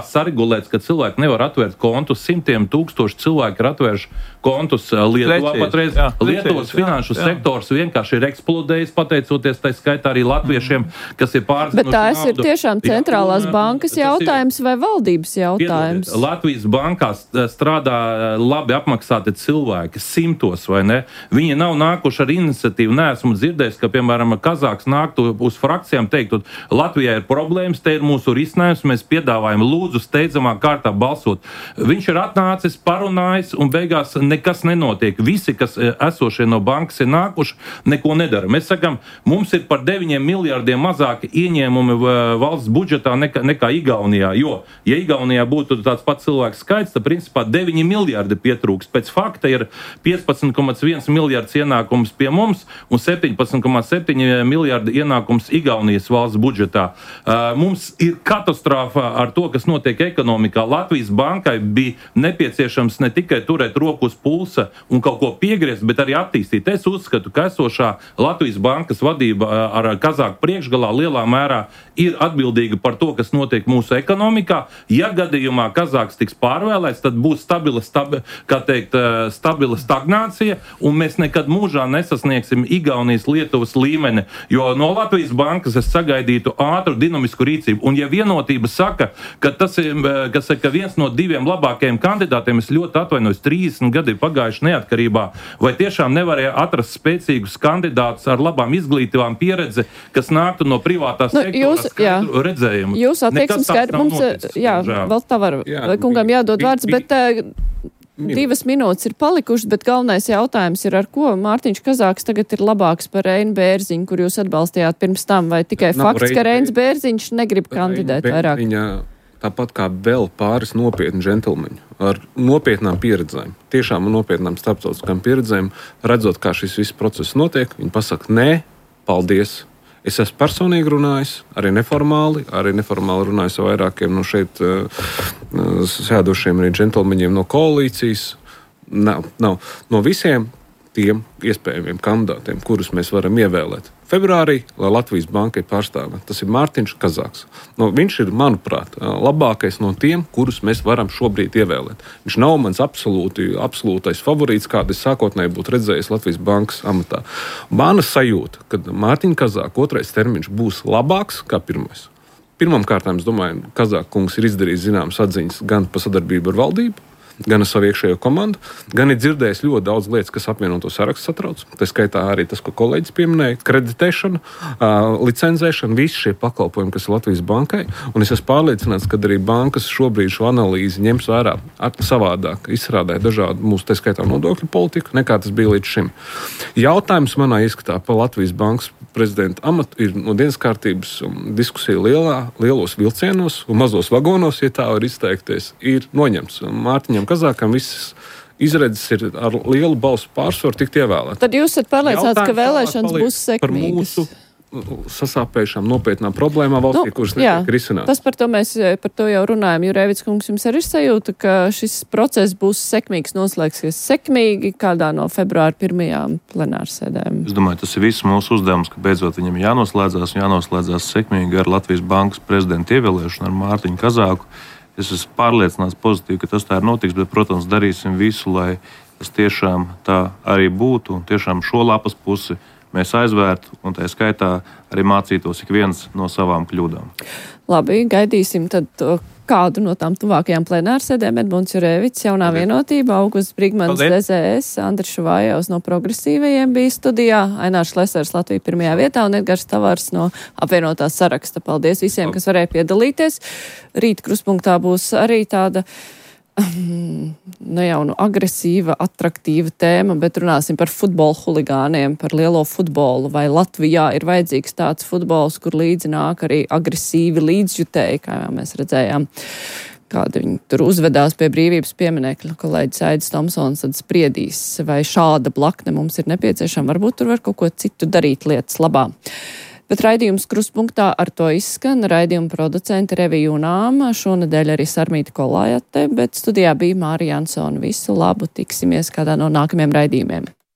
saregulēts, ka cilvēki nevar atvērt kontus, 100 000 cilvēki ir atvērši kontus Lietuvā patreiz. Lietuvas finanšu sektors vienkārši ir eksplodējis, pateicoties tai skaitā arī latviešiem, kas ir pārzinuši naudu. Bet tās ir tiešām centrālās bankas jautājums vai valdības jautājums? Latvijas bankās strādā labi apmaksāti cilvēki, 100, vai ne? Viņi nav nākuši ar iniciatīvu. Neesmu dzirdējis, ka, piemēram, Kazāks nāktu uz frakcijām teiktu, Latvijā ir problēmas, te ir mūsu risinājums, mēs piedāvājam lūdzu steidzamā kārtā balsot. Viņš ir atnācis, parunājis un beigās nekas nenotiek. Visi, kas esošie no bankas ir nākuši, neko nedara. Mēs sakam, mums ir par 9 miljārdiem mazāki ieņēmumi valsts budžetā nekā Igaunijā, jo, ja Igaunijā būtu tāds pats cilvēks skaits, tad principā 9 miljārdi pietrūks. Pēc fakta ir 15,1 miljārds ienākums pie mums un 17,7 miljārdi ienākums Igaunijas valsts budžetā. Mums ir katastrofa ar to, kas notiek ekonomikā. Latvijas bankai bija nepieciešams ne tikai turēt roku uz pulsa un kaut ko piegriezt, bet arī attīstīt. Es uzskatu, ka esošā Latvijas bankas vadība ar Kazāku priekšgalā lielā mērā ir atbildīga par to, kas notiek mūsu ekonomikā. Ja gadījumā Kazāks tiks pārvēlēts, tad būs stabila stagnācija, un mēs nekad mūžā nesasniegsim Igaunijas, Lietuvas līmeni, jo no Latvijas bankas es sagaidītu ātru dinamisku rīcību. Un ja vienotība saka, ka tas ir, ka viens no 2 labākajiem kandidātiem, es ļoti atvainojos, 30 gadi ir pagājuši neatkarībā, vai tiešām nevarēja atrast spēcīgus kandidātus ar labām izglītībām pieredzi, kas nāktu no privātā sektora redzējumu. Jūs attieksmi skaidri mums, vēl tā var, kungam jādod vārds, bet 2 minūtes ir palikušas, bet galvenais jautājums ir, ar ko Mārtiņš Kazāks tagad ir labāks par Reinu Bērziņu, kur jūs atbalstījāt pirms tam, vai tikai fakts, ka Reinis Bērziņš negrib kandidēt vairāk? Tāpat kā vēl pāris nopietni džentelmeņi ar nopietnām pieredzēm, tiešām nopietnām starptautiskām pieredzēm, redzot, kā šis viss process notiek, viņi pasaka, nē, paldies. Es esmu personīgi runājis, arī neformāli runājis ar vairākiem no šeit sēdošiem arī džentelmeņiem no koalīcijas. Nav no visiem tiem iespējamiem kandidātiem, kurus mēs varam ievēlēt. Februārī, lai Latvijas banka ir pārstāvēta, tas ir Mārtiņš Kazāks. Viņš ir, manuprāt, labākais no tiem, kurus mēs varam šobrīd ievēlēt. Viņš nav mans absolūtais favorīts, kādu es sākotnēji būtu redzējis Latvijas bankas amatā. Mana sajūta, ka Mārtiņa Kazāka 2. termiņš būs labāks kā 1. Pirmkārt, es domāju, Kazāka kungs ir izdarījis zināmas atziņas gan par sadarbību ar valdību, gan ar savu iekšējo komandu, gan ir dzirdējis ļoti daudz lietas, kas apvienoto sarakstu satrauc. Tā skaitā arī tas, ko kolēģis pieminēja, kreditēšana, licencēšana, visi šie pakalpojumi, kas ir Latvijas bankai. Un es esmu pārliecināts, ka arī bankas šobrīd šo analīzi ņems vērā savādāk, izstrādāja dažādu mūsu, tā skaitā nodokļu politiku, nekā tas bija līdz šim. Jautājums manā ieskatā par Latvijas bankas prezidenta amatu ir no dienas kārtības diskusija lielos vilcienos un mazos vagonos, ja tā var izteikties, ir noņemts. Mārtiņam Kazākam visas izredzes ir ar lielu balsu pārsvaru tikt ievēlēt. Tad jūs esat pārliecināts, ka vēlēšanas būs sekmīgas? Par mūsu sasāpējušām nopietnām problēmām valstī, kuras netiek risinātas. Tas par to jau runājam. Jurēvics kungs, jums arī ir sajūta, ka šis process būs sekmīgs, noslēgsies sekmīgi kādā no februāra 1. plenārsēdēm? Es domāju, tas ir viss mūsu uzdevums, ka beidzot viņam jānoslēdzās sekmīgi ar Latvijas bankas prezidenta ievēlēšanu, ar Mārtiņu Kazāku. Es esmu pārliecināts pozitīvi, ka tas tā ir notiks, bet, protams, darīsim visu, lai tas tiešām tā arī būtu un tiešām šo lapas pusi mēs aizvērtu un tā skaitā arī mācītos ik viens no savām kļūdām. Labi, gaidīsim tad kādu no tām tuvākajām plenārsēdēm. Edmunds Jurēvics, Jaunā vienotība, Augusts Brigmans, DZS, Andris Šuvājovs no Progresīvajiem bija studijā, Ainārs Lesers Latvija 1. vietā un Edgars Tavārs no apvienotā saraksta. Paldies visiem, kas varēja piedalīties. Rīt kruspunktā būs arī tāda agresīva, atraktīva tēma, bet runāsim par futbola huligāniem, par lielo futbolu. Vai Latvijā ir vajadzīgs tāds futbols, kur līdzi nāk arī agresīvi līdzjutēji, kā jau mēs redzējām, kādi viņi tur uzvedās pie brīvības pieminekļa. Kolēģis Aidis Tomsons tad spriedīs, vai šāda blakne mums ir nepieciešama. Varbūt tur var kaut ko citu darīt lietas labā. Bet raidījums Krustpunktā ar to izskan. Raidījuma producente Revija Junāma, šonedēļ arī Sarmīta Kolājate, bet studijā bija Mārija Ansona. Visu labu, tiksimies kādā no nākamajiem raidījumiem.